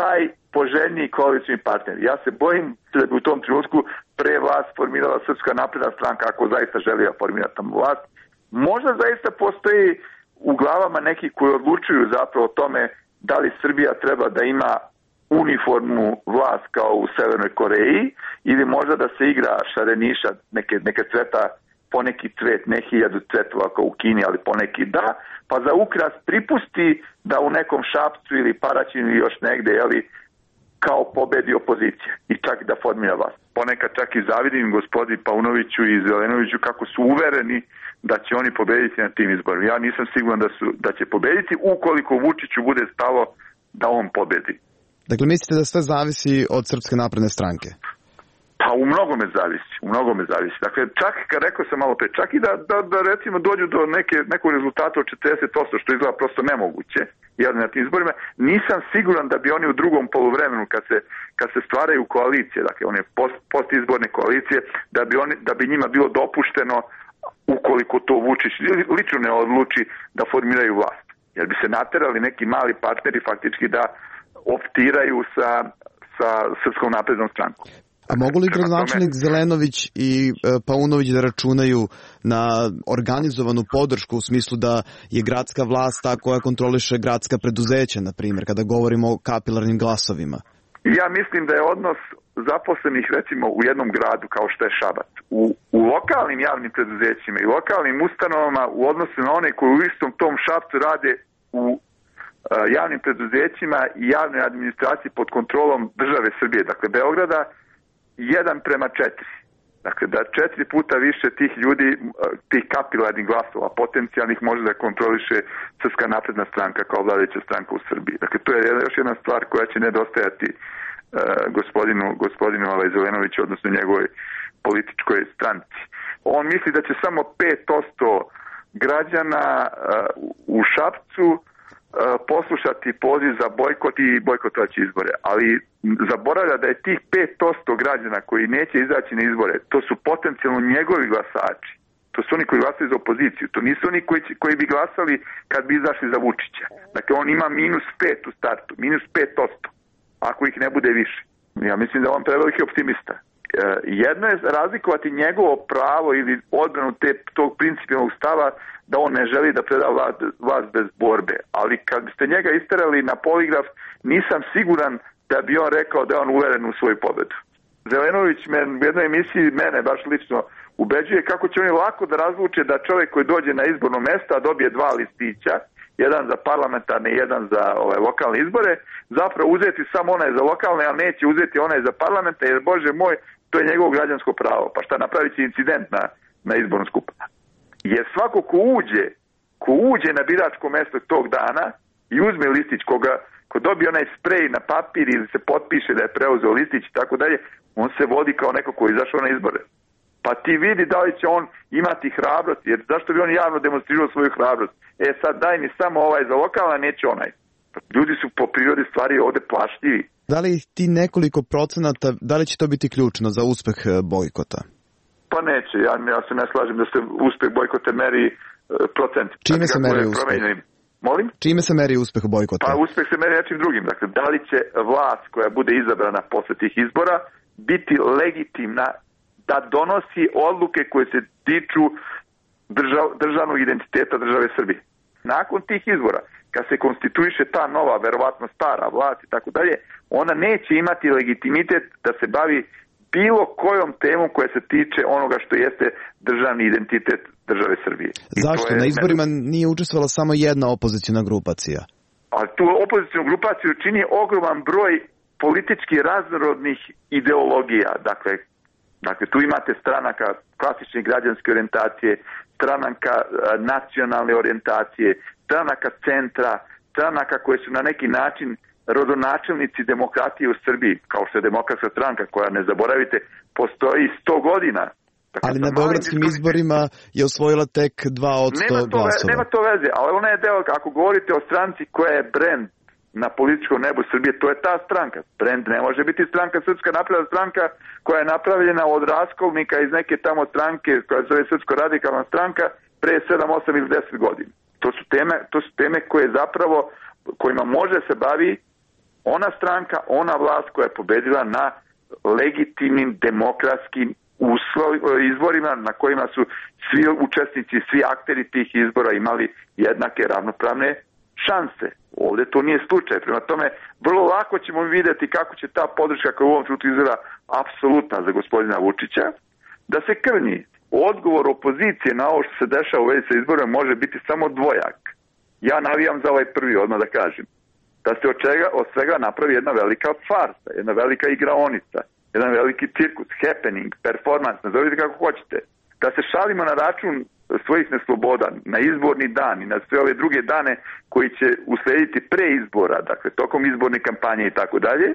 Speaker 10: taj poželjniji koalicijni partner. Ja se bojim da bi u tom trenutku pre vlast formirala Srpska napredna stranka, ako zaista želi da formira tamo vlast. Možda zaista postoji u glavama neki koji odlučuju zapravo o tome da li Srbija treba da ima uniformnu vlast kao u Severnoj Koreji ili možda da se igra šareniša, neke cveta, poneki cvet, ne 1000 cvetova kao u Kini, ali poneki da, pa za ukras pripusti da u nekom Šapcu ili Paraćinu ili još negde, jeli, kao pobedi opozicija i čak da formira vlast. Ponekad čak i zavidim gospodi Paunoviću i Zelenoviću kako su uvereni da će oni pobediti na tim izborima. Ja nisam siguran da će pobediti ukoliko Vučiću bude stalo da on pobedi.
Speaker 1: Dakle, mislite da sve zavisi od Srpske napredne stranke?
Speaker 10: Pa u mnogome zavisi. Dakle, čak, kad rekao sam malo pre, čak i da recimo dođu do nekog rezultata od 40%, što izgleda prosto nemoguće, jer na tim izborima, nisam siguran da bi oni u drugom poluvremenu, kad se stvaraju koalicije, dakle, one postizborne koalicije, da bi njima bilo dopušteno, ukoliko to Vučić lično ne odluči, da formiraju vlast. Jer bi se naterali neki mali partneri faktički da optiraju sa Srpskom naprednom strankom.
Speaker 1: A mogu li gradonačelnik Zelenović i Paunović da računaju na organizovanu podršku u smislu da je gradska vlast ta koja kontroliše gradska preduzeća, na primjer, kada govorimo o kapilarnim glasovima?
Speaker 10: Ja mislim da je odnos zaposlenih, recimo, u jednom gradu kao što je Šabac, u lokalnim javnim preduzećima i lokalnim ustanovama u odnosu na one koji u istom tom Šapcu rade u javnim preduzećima i javnoj administraciji pod kontrolom države Srbije, dakle Beograda, 1:4. Dakle, da 4 puta više tih ljudi, tih kapilarnih glasova, potencijalnih, može da kontroliše Srpska napredna stranka kao vladajuća stranka u Srbiji. Dakle, to je još jedna stvar koja će nedostajati gospodinu Zelenoviću, odnosno njegovoj političkoj stranci. On misli da će samo 5% građana u Šapcu poslušati poziv za bojkot i bojkotovaće izbore, ali zaboravlja da je tih 5% građana koji neće izaći na izbore, to su potencijalno njegovi glasači, to su oni koji glasaju za opoziciju, to nisu oni koji bi glasali kad bi izašli za Vučića. Dakle, on ima -5 u startu, -5%, ako ih ne bude više. Ja mislim da je on preveliki optimista. Jedno je razlikovati njegovo pravo ili odbranu tog principijalnog stava da on ne želi da preda vlast bez borbe. Ali kad biste njega isterali na poligraf, nisam siguran da bi on rekao da je on uveren u svoju pobedu. Zelenović u jednoj emisiji mene baš lično ubeđuje kako će oni lako da razluče da čovjek koji dođe na izborno mesto dobije 2 listića, jedan za parlamentarne i jedan za lokalne izbore, zapravo uzeti samo onaj za lokalne, a neće uzeti onaj za parlamenta, jer Bože moj, to je njegovo građansko pravo. Pa šta, napravit će incident na izbornom skupu? Jer svako ko uđe na biračko mesto tog dana i uzme listić, ko dobije onaj sprej na papir ili se potpiše da je preuzeo listić i tako dalje, on se vodi kao neko ko je izašao na izbore. Pa ti vidi da li će on imati hrabrost, jer zašto bi on javno demonstrirao svoju hrabrost? Sad daj mi samo ovaj za lokalna, neće onaj. Ljudi su po prirodi stvari ovde plašljivi.
Speaker 1: Da li ti nekoliko procenata, da li će to biti ključno za uspeh bojkota?
Speaker 10: Pa neće, ja se ne slažem da se uspeh bojkota meri procent.
Speaker 1: Čime se meri uspeh?
Speaker 10: Molim?
Speaker 1: Čime se meri uspeh bojkota?
Speaker 10: Pa uspeh se meri nečim drugim. Dakle, da li će vlast koja bude izabrana posle tih izbora biti legitimna da donosi odluke koje se tiču državnog identiteta države Srbije. Nakon tih izbora, kad se konstituiše ta nova, verovatno stara vlast i tako dalje, ona neće imati legitimitet da se bavi bilo kojom temom koja se tiče onoga što jeste državni identitet države Srbije.
Speaker 1: Zašto? Na izborima nije učestvovala samo jedna opoziciona grupacija.
Speaker 10: A tu opozicionu grupaciju čini ogroman broj politički raznorodnih ideologija. Dakle, tu imate stranaka klasične građanske orijentacije, stranaka nacionalne orijentacije, stranaka centra, stranaka koje su na neki način rodonačelnici demokratije u Srbiji, kao što je Demokratska stranka koja, ne zaboravite, postoji 100 godina.
Speaker 1: Dakle, ali na beogradskim izborima je osvojila tek 2% glasova.
Speaker 10: Nema to veze, ali ona je deo, ako govorite o stranci koja je brend na političkom nebu Srbije, to je ta stranka. Brend ne može biti stranka, Srpska napredna stranka koja je napravljena od raskolnika iz neke tamo stranke koja se zove Srpsko radikalna stranka pre 7, 8 ili 10 godina. To su teme koje zapravo, kojima može se bavi ona stranka, ona vlast koja je pobedila na legitimnim demokratskim izborima na kojima su svi učesnici, svi akteri tih izbora imali jednake ravnopravne šanse. Ovdje to nije slučaj. Prema tome, vrlo lako ćemo vidjeti kako će ta podrška koja u ovom trenutku izgleda apsolutna za gospodina Vučića, da se krnji. Odgovor opozicije na ovo što se dešava u vezi sa izborima može biti samo dvojak. Ja navijam za ovaj prvi, odmah da kažem. Da se od svega napravi jedna velika farsa, jedna velika igraonica, jedan veliki cirkus, happening, performance, nazovite kako hoćete. Da se šalimo na račun svojih nesloboda, na izborni dan i na sve ove druge dane koji će uslediti pre izbora, dakle tokom izborne kampanje i tako dalje,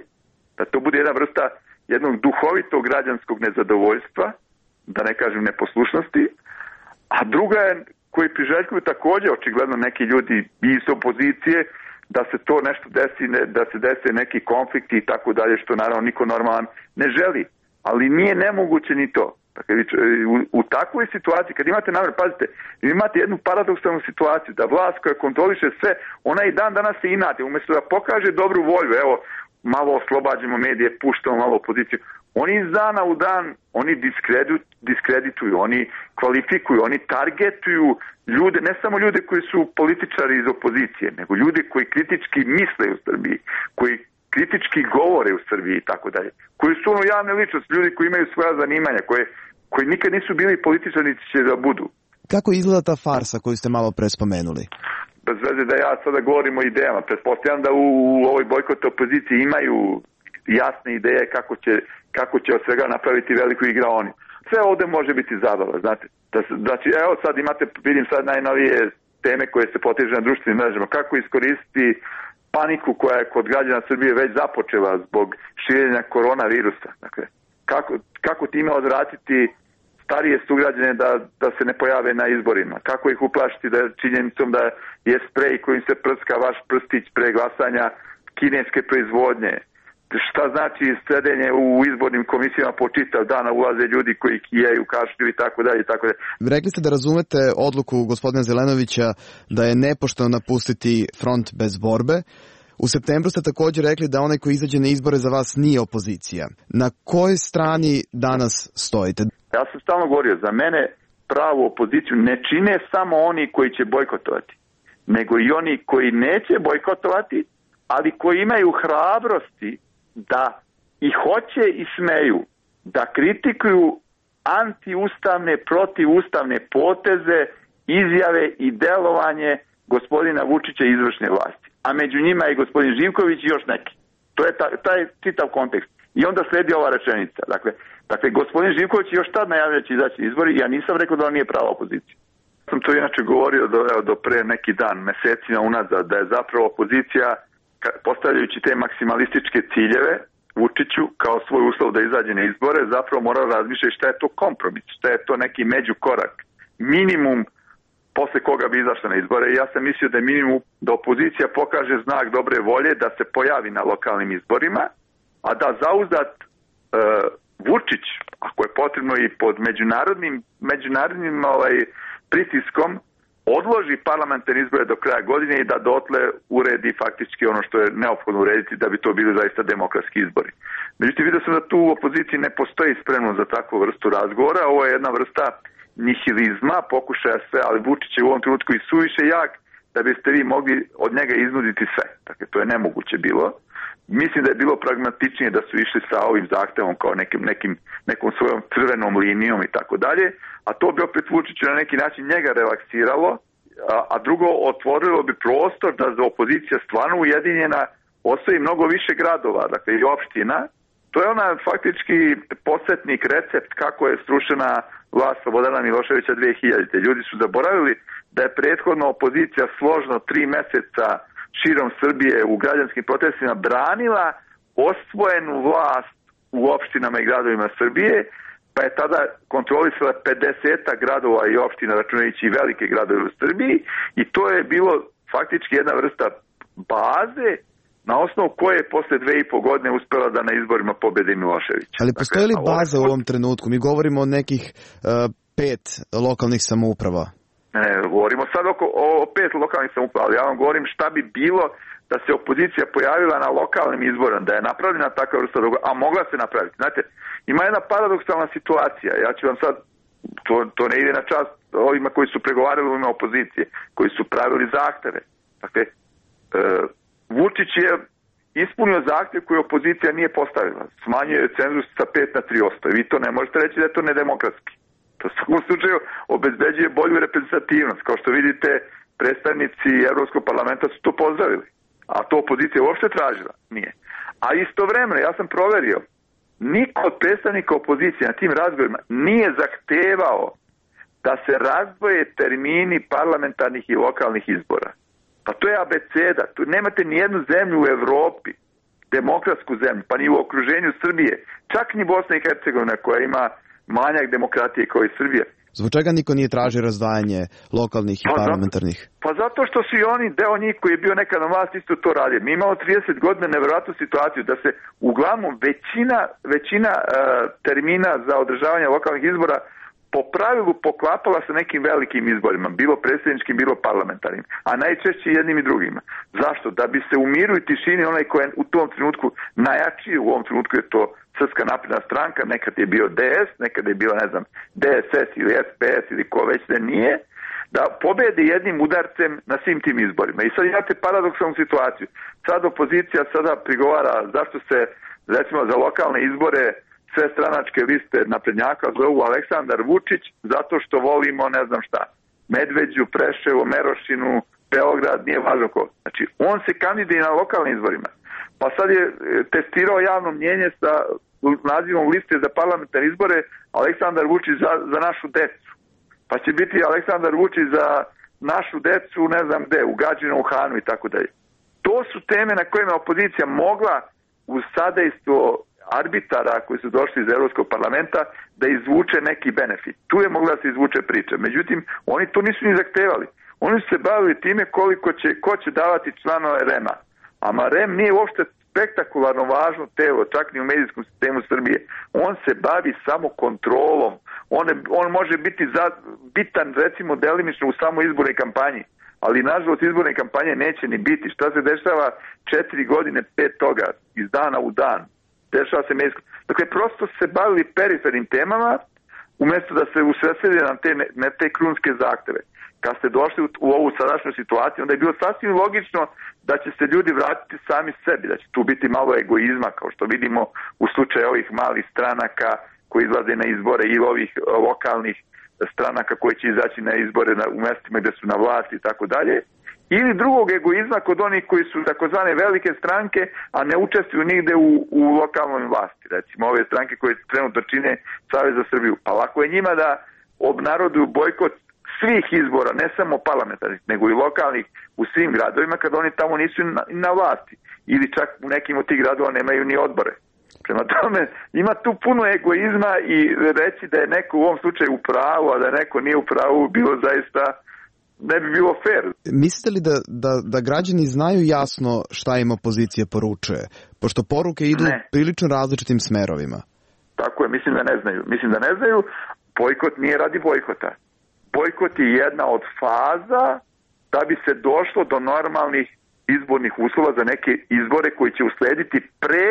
Speaker 10: da to bude jedna vrsta jednog duhovitog građanskog nezadovoljstva, da ne kažem neposlušnosti, a druga je koji priželjkuju također očigledno neki ljudi iz opozicije, da se to nešto desi, da se dese neki konflikti i tako dalje, što naravno niko normalan ne želi. Ali nije nemoguće ni to. Dakle, u takvoj situaciji, kad imate namjer, pazite, imate jednu paradoksalnu situaciju, da vlast koja kontroliše sve, ona i dan danas se inati, umjesto da pokaže dobru volju, evo, malo oslobađamo medije, puštamo malo opoziciju, oni iz dana u dan, oni diskredituju, oni kvalifikuju, oni targetuju ljude, ne samo ljude koji su političari iz opozicije, nego ljude koji kritički misle u Srbiji, koji kritički govore u Srbiji i tako dalje, koji su ono javne ličnosti, ljudi koji imaju svoja zanimanja, koji nikad nisu bili političari, niti će da budu.
Speaker 1: Kako izgleda ta farsa koju ste malo prespomenuli?
Speaker 10: Bez veze da ja sada govorim o idejama. Pretpostavljam da u ovoj bojkot opoziciji imaju jasne ideje kako će od svega napraviti veliku igraonu. Sve ovdje može biti zabava, znate. Znači, evo sad imate, vidim sad najnovije teme koje se potežu na društvenim mrežama. Kako iskoristiti paniku koja je kod građana Srbije već započela zbog širenja koronavirusa. Dakle, kako time odvratiti starije sugrađane da se ne pojave na izborima? Kako ih uplašiti da činjenicom da je sprej kojim se prska vaš prstić pre glasanja kineske proizvodnje? Šta znači sedenje u izbornim komisijama po čitav dana, ulaze ljudi koji kijaju, kašlju i tako dalje i tako dalje.
Speaker 1: Rekli ste da razumete odluku gospodina Zelenovića da je nepošteno napustiti front bez borbe. U septembru ste također rekli da onaj koji izađe na izbore za vas nije opozicija. Na kojoj strani danas stojite?
Speaker 10: Ja sam stalno govorio, za mene pravu opoziciju ne čine samo oni koji će bojkotovati, nego i oni koji neće bojkotovati, ali koji imaju hrabrosti da i hoće i smeju da kritikuju antiustavne, protivustavne poteze, izjave i delovanje gospodina Vučića i izvršne vlasti. A među njima je gospodin Živković i još neki. To je taj čitav kontekst. I onda sledi ova rečenica. Dakle, gospodin Živković još tad najavlja će izaći izbori, ja nisam rekao da on nije prava opozicija. Sam to inače govorio do pre neki dan, mesecima unazad, da je zapravo opozicija, postavljajući te maksimalističke ciljeve Vučiću kao svoj uslov da izađe na izbore, zapravo mora razmišljati šta je to kompromis, šta je to neki međukorak, minimum posle koga bi izašla na izbore. Ja sam mislio da je minimum da opozicija pokaže znak dobre volje da se pojavi na lokalnim izborima, a da zauzdat Vučić, ako je potrebno i pod međunarodnim pritiskom, odloži parlamentarne izbore do kraja godine i da dotle uredi faktički ono što je neophodno urediti da bi to bili zaista demokratski izbori. Međutim, vidio sam da tu u opoziciji ne postoji spremno za takvu vrstu razgovora. Ovo je jedna vrsta nihilizma, pokušaja sve, ali Vučić je u ovom trenutku i suviše jak da biste vi mogli od njega iznuditi sve. Dakle, to je nemoguće bilo. Mislim da je bilo pragmatičnije da su išli sa ovim zahtevom kao nekom svojom crvenom linijom i tako dalje, a to bi opet Vučiću na neki način njega relaksiralo, a drugo otvorilo bi prostor da za opozicija stvarno ujedinjena osvoji mnogo više gradova, dakle i opština. To je ona faktički podsjetnik, recept kako je srušena vlast Slobodana Miloševića 2000. Ljudi su zaboravili da je prethodno opozicija složno 3 meseca širom Srbije u građanskim protestima branila osvojenu vlast u opštinama i gradovima Srbije, pa je tada kontrolisala 50 gradova i opština, računajući i velike gradove u Srbiji, i to je bilo faktički jedna vrsta baze na osnovu koje je posle 2,5 godine uspela da na izborima pobedi Milošević.
Speaker 1: Ali postoji li baza u ovom trenutku? Mi govorimo o nekih 5 lokalnih samouprava.
Speaker 10: Ne, govorimo sad o 5 lokalnih samouprava, ali ja vam govorim šta bi bilo da se opozicija pojavila na lokalnim izborima, da je napravljena takva vrsta dogovora, a mogla se napraviti. Znate, ima jedna paradoksalna situacija, ja ću vam sad, to ne ide na čast ovima koji su pregovarali u ime opozicije, koji su pravili zahteve. Dakle, Vučić je ispunio zahtev koji opozicija nije postavila. Smanjuje cenzus sa 5 na 3%. Vi to ne možete reći da je to nedemokratski. To u svakom slučaju obezbeđuje bolju reprezentativnost. Kao što vidite, predstavnici Evropskog parlamenta su to pozdravili. A to opozicija uopšte tražila. Nije. A istovremeno, ja sam proverio, niko od predstavnika opozicije na tim razgovorima nije zahtevao da se razdvoje termini parlamentarnih i lokalnih izbora. Pa to je abeceda. Tu nemate ni jednu zemlju u Evropi, demokratsku zemlju, pa ni u okruženju Srbije, čak ni Bosna i Hercegovina koja ima manjak demokratije kao i Srbija.
Speaker 1: Zbog čega niko nije tražio razdvajanje lokalnih i parlamentarnih?
Speaker 10: Pa zato što su i oni, deo njih koji je bio nekad na vlast, isto to radio. Mi imamo 30 godina nevjerojatnu situaciju da se uglavnom većina termina za održavanje lokalnih izbora po pravilu poklapala sa nekim velikim izborima, bilo predsjedničkim, bilo parlamentarnim, a najčešće jednim i drugima. Zašto? Da bi se u miru i tišini onaj koji je u tom trenutku najjačiji, u ovom trenutku je to Srpska napredna stranka, nekad je bio DS, nekad je bio, ne znam, DSS ili SPS ili ko već ne nije, da pobede jednim udarcem na svim tim izborima. I sad imate paradoksalnu situaciju. Sad opozicija sada prigovara zašto se, recimo, za lokalne izbore sve stranačke liste naprednjaka zovu Aleksandar Vučić zato što volimo ne znam šta. Medveđu, Preševo, Merošinu, Beograd, nije važno ko. Znači, on se kandiduje na lokalnim izborima. Pa sad je testirao javno mnjenje sa nazivom liste za parlamentarne izbore Aleksandar Vučić za našu decu. Pa će biti Aleksandar Vučić za našu decu, ne znam gde, u Gadžinom Hanu i tako dalje. To su teme na kojima opozicija mogla uz sadejstvo arbitara koji su došli iz Evropskog parlamenta da izvuče neki benefit. Tu je mogla da se izvuče priča. Međutim, oni to nisu ni zahtevali. Oni su se bavili time ko će davati članove REM-a. Ama REM nije uopšte spektakularno važno telo, čak ni u medijskom sistemu Srbije. On se bavi samo kontrolom. On može biti bitan, recimo, delimično u samo izbornoj kampanji. Ali, nažalost, izborne kampanje neće ni biti. Šta se dešava 4 godine, 5 toga, iz dana u dan? Dešava se medijsko. Dakle, prosto se bavili perifernim temama, umjesto da se usredsrede na te krunske zahteve. Kad ste došli u ovu sadašnju situaciju, onda je bilo sasvim logično da će se ljudi vratiti sami sebi, da će tu biti malo egoizma, kao što vidimo u slučaju ovih malih stranaka koji izlaze na izbore ili ovih lokalnih stranaka koji će izaći na izbore u mestima gde su na vlasti i tako dalje. Ili drugog egoizma kod onih koji su takozvane velike stranke, a ne učestvuju nigde u lokalnoj vlasti. Recimo ove stranke koje trenutno čine Savez za Srbiju. Pa lako je njima da obnaroduju bojkot svih izbora, ne samo parlamentarnih, nego i lokalnih u svim gradovima kad oni tamo nisu na vlasti. Ili čak u nekim od tih gradova nemaju ni odbore. Prema tome, ima tu puno egoizma i reći da je neko u ovom slučaju u pravu, a da neko nije u pravu, bilo zaista ne bi bilo fair.
Speaker 1: Mislite li da građani znaju jasno šta im opozicija poručuje? Pošto poruke idu prilično različitim smerovima.
Speaker 10: Tako je, mislim da ne znaju. Bojkot nije radi bojkota. Bojkot je jedna od faza da bi se došlo do normalnih izbornih uslova za neke izbore koji će uslediti pre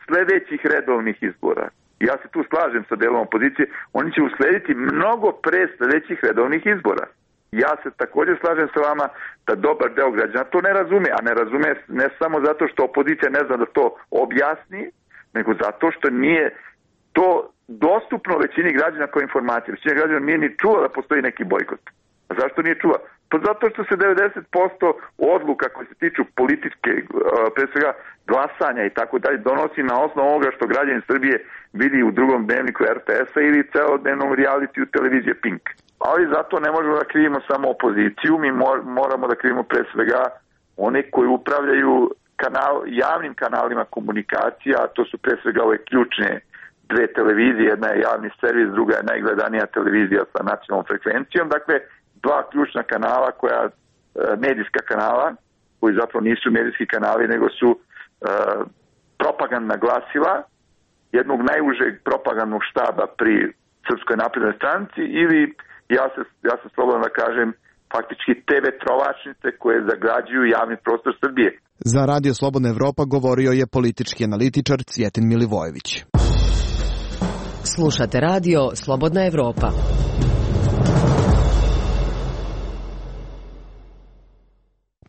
Speaker 10: sledećih redovnih izbora. Ja se tu slažem sa delom opozicije, oni će uslediti mnogo pre sledećih redovnih izbora. Ja se također slažem sa vama da dobar deo građana to ne razume, a ne razume ne samo zato što opozicija ne zna da to objasni, nego zato što nije to dostupno većini građana kao informacija. Većina građana nije ni čula da postoji neki bojkot. A zašto nije čula? Pa zato što se 90% odluka koje se tiču političke, pre svega glasanja i tako dalje, donosi na osnovu ovoga što građani Srbije vidi u drugom dnevniku RTS-a ili celodnevnom realitiju televizije Pink. Ali zato ne možemo da krivimo samo opoziciju, mi moramo da krivimo pre svega one koji upravljaju javnim kanalima komunikacija, a to su pre svega ove ključne dve televizije, jedna je javni servis, druga je najgledanija televizija sa nacionalnom frekvencijom, dakle dva ključna kanala medijska kanala, koji zapravo nisu medijski kanali, nego su propagandna glasila jednog najužeg propagandnog štaba pri Srpskoj naprednoj stranci ili, ja se slobodno da kažem, faktički TV trovačnice koje zagađuju javni prostor Srbije.
Speaker 1: Za Radio Slobodna Evropa govorio je politički analitičar Cvjetin Milivojević.
Speaker 11: Slušate radio Slobodna Evropa.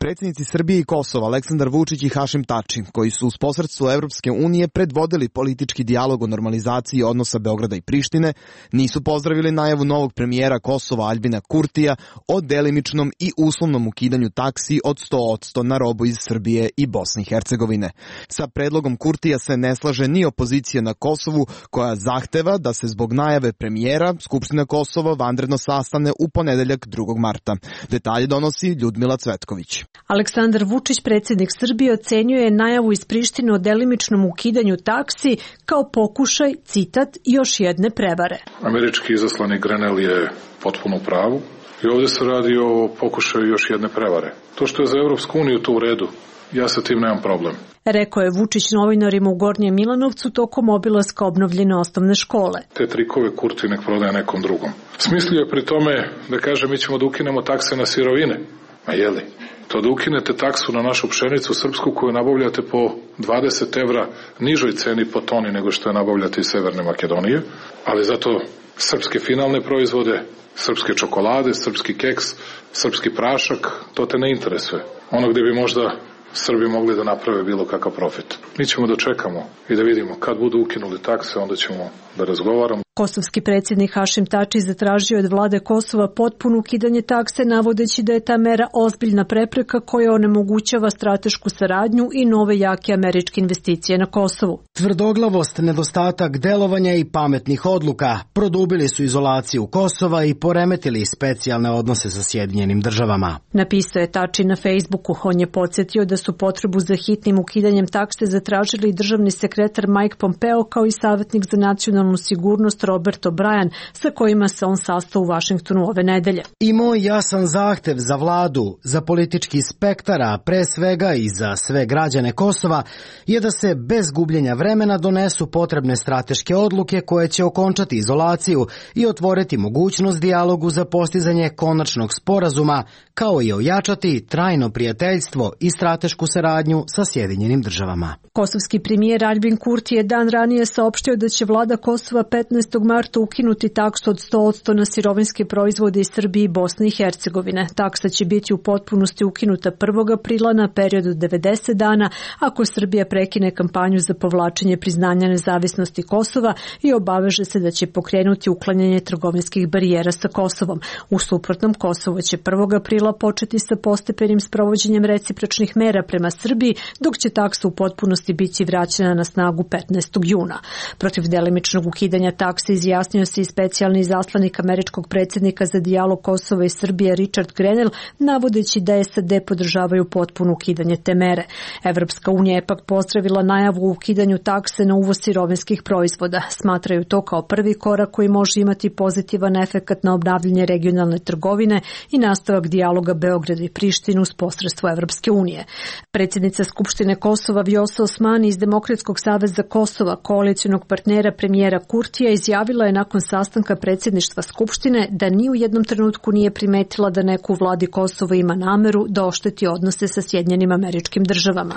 Speaker 1: Predsjednici Srbije i Kosova Aleksandar Vučić i Hašim Tači, koji su uz posredstvo Evropske unije predvodili politički dijalog o normalizaciji odnosa Beograda i Prištine, nisu pozdravili najavu novog premijera Kosova Aljbina Kurtija o delimičnom i uslovnom ukidanju taksi od 100% na robu iz Srbije i Bosne i Hercegovine. Sa predlogom Kurtija se ne slaže ni opozicija na Kosovu, koja zahteva da se zbog najave premijera Skupština Kosova vanredno sastane u ponedeljak 2. marta. Detalje donosi Ljudmila Cvetković.
Speaker 13: Aleksandar Vučić, predsjednik Srbije, ocenjuje najavu iz Prištine o delimičnom ukidanju taksi kao pokušaj, citat, još jedne prevare.
Speaker 9: Američki izaslanik Grenell je potpuno u pravu i ovdje se radi o pokušaju još jedne prevare. To što je za Evropsku uniju to u redu, ja sa tim nemam problem.
Speaker 13: Rekao je Vučić novinarima u Gornjem Milanovcu tokom obilaska obnovljene osnovne škole.
Speaker 9: Te trikove Kurti nek prodaje nekom drugom. Smislio je pri tome da kaže mi ćemo da ukinemo takse na sirovine. Ma jeli? To da ukinete taksu na našu pšenicu srpsku koju nabavljate po 20 evra nižoj ceni po toni nego što je nabavljate iz Severne Makedonije, ali zato srpske finalne proizvode, srpske čokolade, srpski keks, srpski prašak, to te ne interesuje. Ono gdje bi možda Srbi mogli da naprave bilo kakav profit. Mi ćemo da čekamo i da vidimo kad budu ukinuli takse, onda ćemo da razgovaramo.
Speaker 13: Kosovski predsjednik Hašim Tači zatražio od vlade Kosova potpuno ukidanje takse, navodeći da je ta mera ozbiljna prepreka koja onemogućava stratešku saradnju i nove jake američke investicije na Kosovu.
Speaker 14: Tvrdoglavost, nedostatak delovanja i pametnih odluka produbili su izolaciju Kosova i poremetili specijalne odnose sa Sjedinjenim državama.
Speaker 13: Napisao je Tači na Facebooku. On je podsjetio da su potrebu za hitnim ukidanjem takse zatražili državni sekretar Mike Pompeo kao i savjetnik za nacionalnu sigurnost Robert O'Brien, sa kojima se on sastao u Vašingtonu ove nedelje.
Speaker 14: I moj jasan zahtev za vladu, za politički spektar, a pre svega i za sve građane Kosova, je da se bez gubljenja vremena donesu potrebne strateške odluke koje će okončati izolaciju i otvoriti mogućnost dijalogu za postizanje konačnog sporazuma, kao i ojačati trajno prijateljstvo i stratešku saradnju sa Sjedinjenim državama.
Speaker 13: Kosovski premijer Aljbin Kurti je dan ranije saopštio da će vlada Kosova 15. marta ukinuti taksu od 100% na sirovinske proizvode iz Srbije i Bosne i Hercegovine. Taksa će biti u potpunosti ukinuta 1. aprila na period od 90 dana ako Srbija prekine kampanju za povlačenje priznanja nezavisnosti Kosova i obaveže se da će pokrenuti uklanjanje trgovinskih barijera sa Kosovom. U suprotnom, Kosovo će 1. aprila početi sa postepenim sprovođenjem recipročnih mera prema Srbiji, dok će taksa u potpunosti biti vraćena na snagu 15. juna. Protiv delimičnog ukidanja takse izjasnio se i specijalni izaslanik američkog predsjednika za dijalog Kosova i Srbije Richard Grenell, navodeći da SAD podržavaju potpuno ukidanje te mere. Evropska unija je pak pozdravila najavu o ukidanju takse na uvoz sirovinskih proizvoda. Smatraju to kao prvi korak koji može imati pozitivan efekat na obnavljanje regionalne trgovine i nastavak dijaloga Beograda i Prištine uz posredstvo Evropske unije. Predsjednica Skupštine Kosova Vjosa Osmani iz Demokratskog saveza Kosova, koalicionog partnera premijera Kurtija, izjavila je nakon sastanka predsjedništva Skupštine da ni u jednom trenutku nije primetila da neko u vladi Kosova ima nameru da ošteti odnose sa Sjedinjenim Američkim Državama.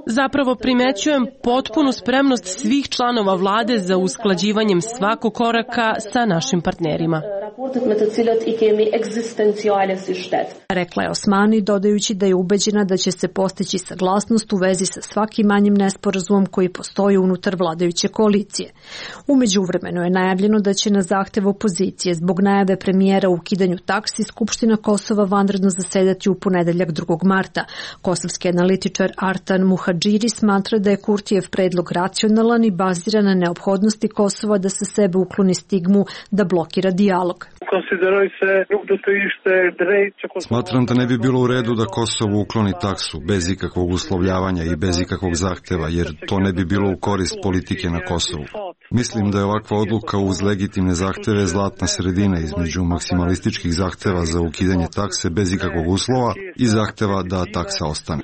Speaker 4: Zapravo primećujem potpunu spremnost svih članova vlade za usklađivanjem svakog koraka sa našim partnerima.
Speaker 13: Rekla je Osmani, dodajući da je ubeđena da će se postići saglasnost u vezi sa svakim manjim nesporazumom koji postoji unutar vladajuće koalicije. U međuvremenu je najavljeno da će na zahtev opozicije zbog najave premijera u ukidanju taksi Skupština Kosova vanredno zasedati u ponedeljak 2. marta. Kosovski analitičar Artan Muhadžiri smatra da je Kurtijev predlog racionalan i baziran na neophodnosti Kosova da sa sebe ukloni stigmu da blokira dijalog.
Speaker 15: Smatram da ne bi bilo u redu da Kosovo ukloni taksu bez ikakvog uslovljavanja i bez ikakvog zahteva, jer to ne bi bilo u korist politike na Kosovu. Mislim da je ovakva odluka uz legitimne zahteve zlatna sredina između maksimalističkih zahteva za ukidanje takse bez ikakvog uslova i zahteva da taksa ostane.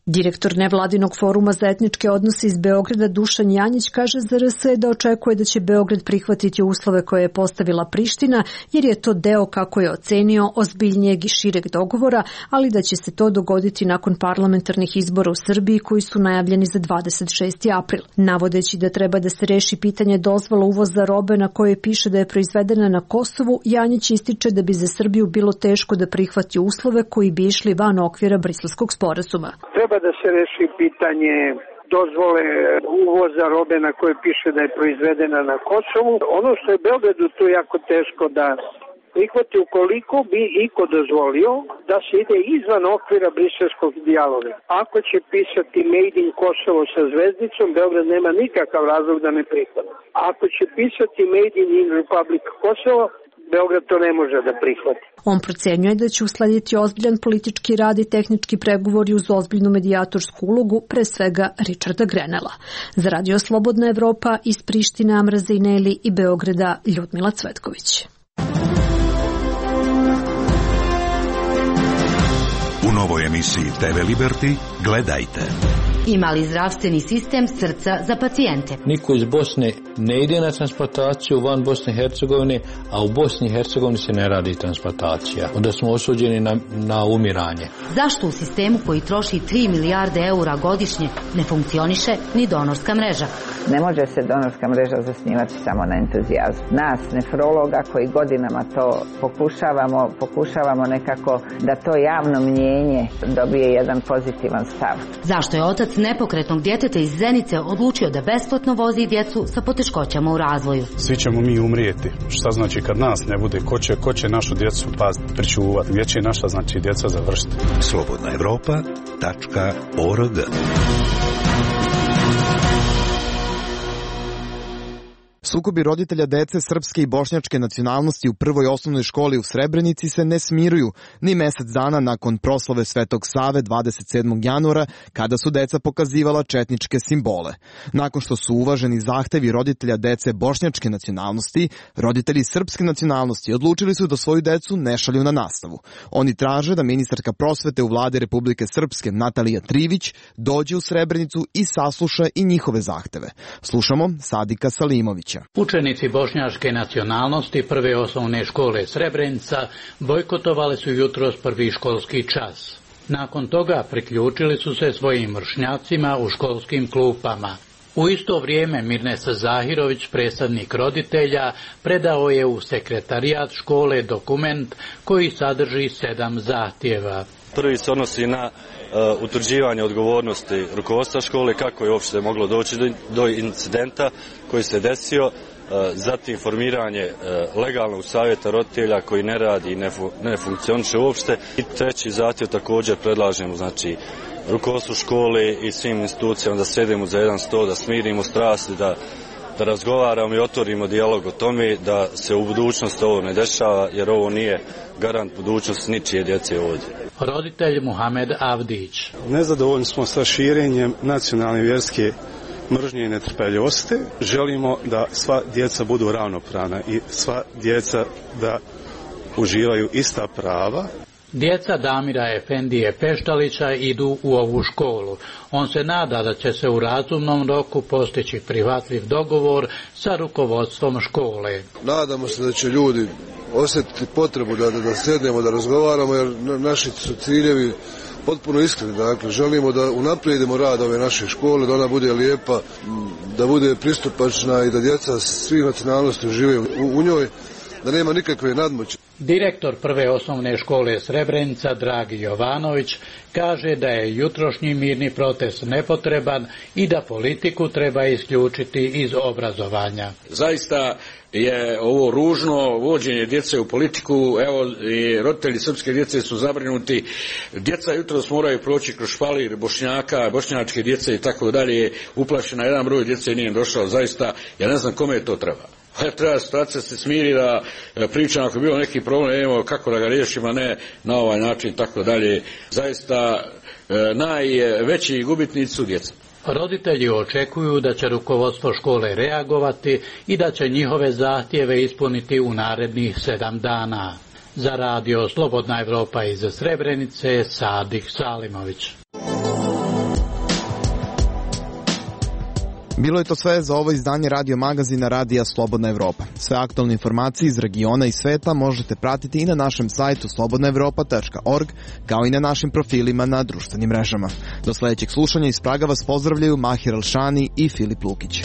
Speaker 13: Direktor nevladinog foruma za etničke odnose iz Beograda Dušan Janjić kaže za RS da očekuje da će Beograd prihvatiti uslove koje je postavila Priština, jer je to deo, kako je ocenio, ozbiljnijeg i šireg dogovora, ali da će se to dogoditi nakon parlamentarnih izbora u Srbiji koji su najavljeni za 26. april. Navodeći da treba da se reši pitanje dozvola uvoza robe na kojoj piše da je proizvedena na Kosovu, Janjić ističe da bi za Srbiju bilo teško da prihvati uslove koji bi išli van okvira Briselskog sporazuma.
Speaker 16: Treba da se reši pitanje dozvole uvoza robe na kojoj piše da je proizvedena na Kosovu. Ono što je Beogradu tu jako teško da prihvati, ukoliko bi iko dozvolio da se ide izvan okvira briselskog dijaloga. Ako će pisati Made in Kosovo sa zvezdicom, Beograd nema nikakav razlog da ne prihvati. Ako će pisati Made in Republic Kosovo, Beograd to ne može da prihvati.
Speaker 13: On procenjuje da će uslediti ozbiljan politički rad i tehnički pregovori uz ozbiljnu medijatorsku ulogu, pre svega Richarda Grenela. Za Radio Slobodna Evropa iz Prištine, Amra Zejneli i Beograda, Ljudmila Cvetković.
Speaker 8: U novoj emisiji TV Liberty gledajte.
Speaker 17: Ima li zdravstveni sistem srca za pacijente?
Speaker 19: Niko iz Bosne ne ide na transplantaciju van Bosne i Hercegovine, a u Bosni i Hercegovini se ne radi transplantacija. Onda smo osuđeni na umiranje.
Speaker 17: Zašto u sistemu koji troši 3 milijarde eura godišnje ne funkcioniše ni donorska mreža?
Speaker 20: Ne može se donorska mreža zasnivati samo na entuzijazmu. Nas, nefrologa, koji godinama to pokušavamo nekako da to javno mnjenje dobije jedan pozitivan stav.
Speaker 17: Zašto je otac nepokretnog djeteta iz Zenice odlučio da besplatno vozi djecu sa poteškoćama u razvoju?
Speaker 27: Svi ćemo mi umrijeti. Šta znači kad nas ne bude? Ko će našu djecu pričuvati? Gdje će naša djeca završiti?
Speaker 8: slobodnaevropa.org.
Speaker 1: Sukobi roditelja dece srpske i bošnjačke nacionalnosti u prvoj osnovnoj školi u Srebrenici se ne smiruju ni mesec dana nakon proslave Svetog Save 27. januara, kada su deca pokazivala četničke simbole. Nakon što su uvaženi zahtevi roditelja dece bošnjačke nacionalnosti, roditelji srpske nacionalnosti odlučili su da svoju decu ne šalju na nastavu. Oni traže da ministarka prosvete u vladi Republike Srpske Natalija Trivić dođe u Srebrenicu i sasluša i njihove zahteve. Slušamo Sadika Salimovića.
Speaker 28: Učenici bošnjačke nacionalnosti prve osnovne škole Srebrenica bojkotovali su jutros prvi školski čas. Nakon toga priključili su se svojim vršnjacima u školskim klupama. U isto vrijeme Mirnesa Zahirović, predstavnik roditelja, predao je u sekretarijat škole dokument koji sadrži 7 zahtjeva.
Speaker 29: Prvi se odnosi na utvrđivanje odgovornosti rukovodstva škole, kako je uopšte moglo doći do incidenta koji se desio, zatim formiranje legalnog savjeta roditelja koji ne radi i ne funkcioniše uopšte. I treći zahtjev također predlažemo, rukovodstvu škole i svim institucijama da sedemo za jedan sto, da smirimo strasti, da razgovaramo i otvorimo dijalog o tome, da se u budućnosti ovo ne dešava, jer ovo nije garant budućnosti ničije djece ovdje.
Speaker 28: Roditelj Muhamed Avdić.
Speaker 27: Nezadovoljni smo sa širenjem nacionalne vjerske mržnje i netrpeljivosti. Želimo da sva djeca budu ravnopravna i sva djeca da uživaju ista prava.
Speaker 28: Djeca Damira Efendije Peštalića idu u ovu školu. On se nada da će se u razumnom roku postići prihvatljiv dogovor sa rukovodstvom škole.
Speaker 2: Nadamo se da će ljudi osjetiti potrebu da sednemo, da razgovaramo, jer naši su ciljevi potpuno iskreni. Dakle, želimo da unaprijedimo rad ove naše škole, da ona bude lijepa, da bude pristupačna i da djeca svih nacionalnosti žive u njoj, da nema nikakve nadmoći.
Speaker 28: Direktor prve osnovne škole Srebrenica, Dragi Jovanović, kaže da je jutrošnji mirni protest nepotreban i da politiku treba isključiti iz obrazovanja.
Speaker 3: Zaista je ovo ružno vođenje djece u politiku. Evo, i roditelji srpske djece su zabrinuti. Djeca jutros moraju proći kroz špalir Bošnjaka, bošnjačke djece i tako dalje. Uplašena jedan broj djece nije došao. Zaista, ja ne znam kome to treba. Treba situacija se smiri, da pričam ako je bilo neki problem, evo kako da ga riješimo, a ne na ovaj način, tako dalje. Zaista najveći gubitnici su djeca.
Speaker 28: Roditelji očekuju da će rukovodstvo škole reagovati i da će njihove zahtjeve ispuniti u narednih 7 dana. Za radio Slobodna Evropa iz Srebrenice, Sadik Salimović.
Speaker 1: Bilo je to sve za ovo izdanje radio magazina Radija Slobodna Evropa. Sve aktualne informacije iz regiona i sveta možete pratiti i na našem sajtu slobodnaevropa.org, kao i na našim profilima na društvenim mrežama. Do sljedećeg slušanja iz Praga vas pozdravljaju Mahir Alšani i Filip Lukić.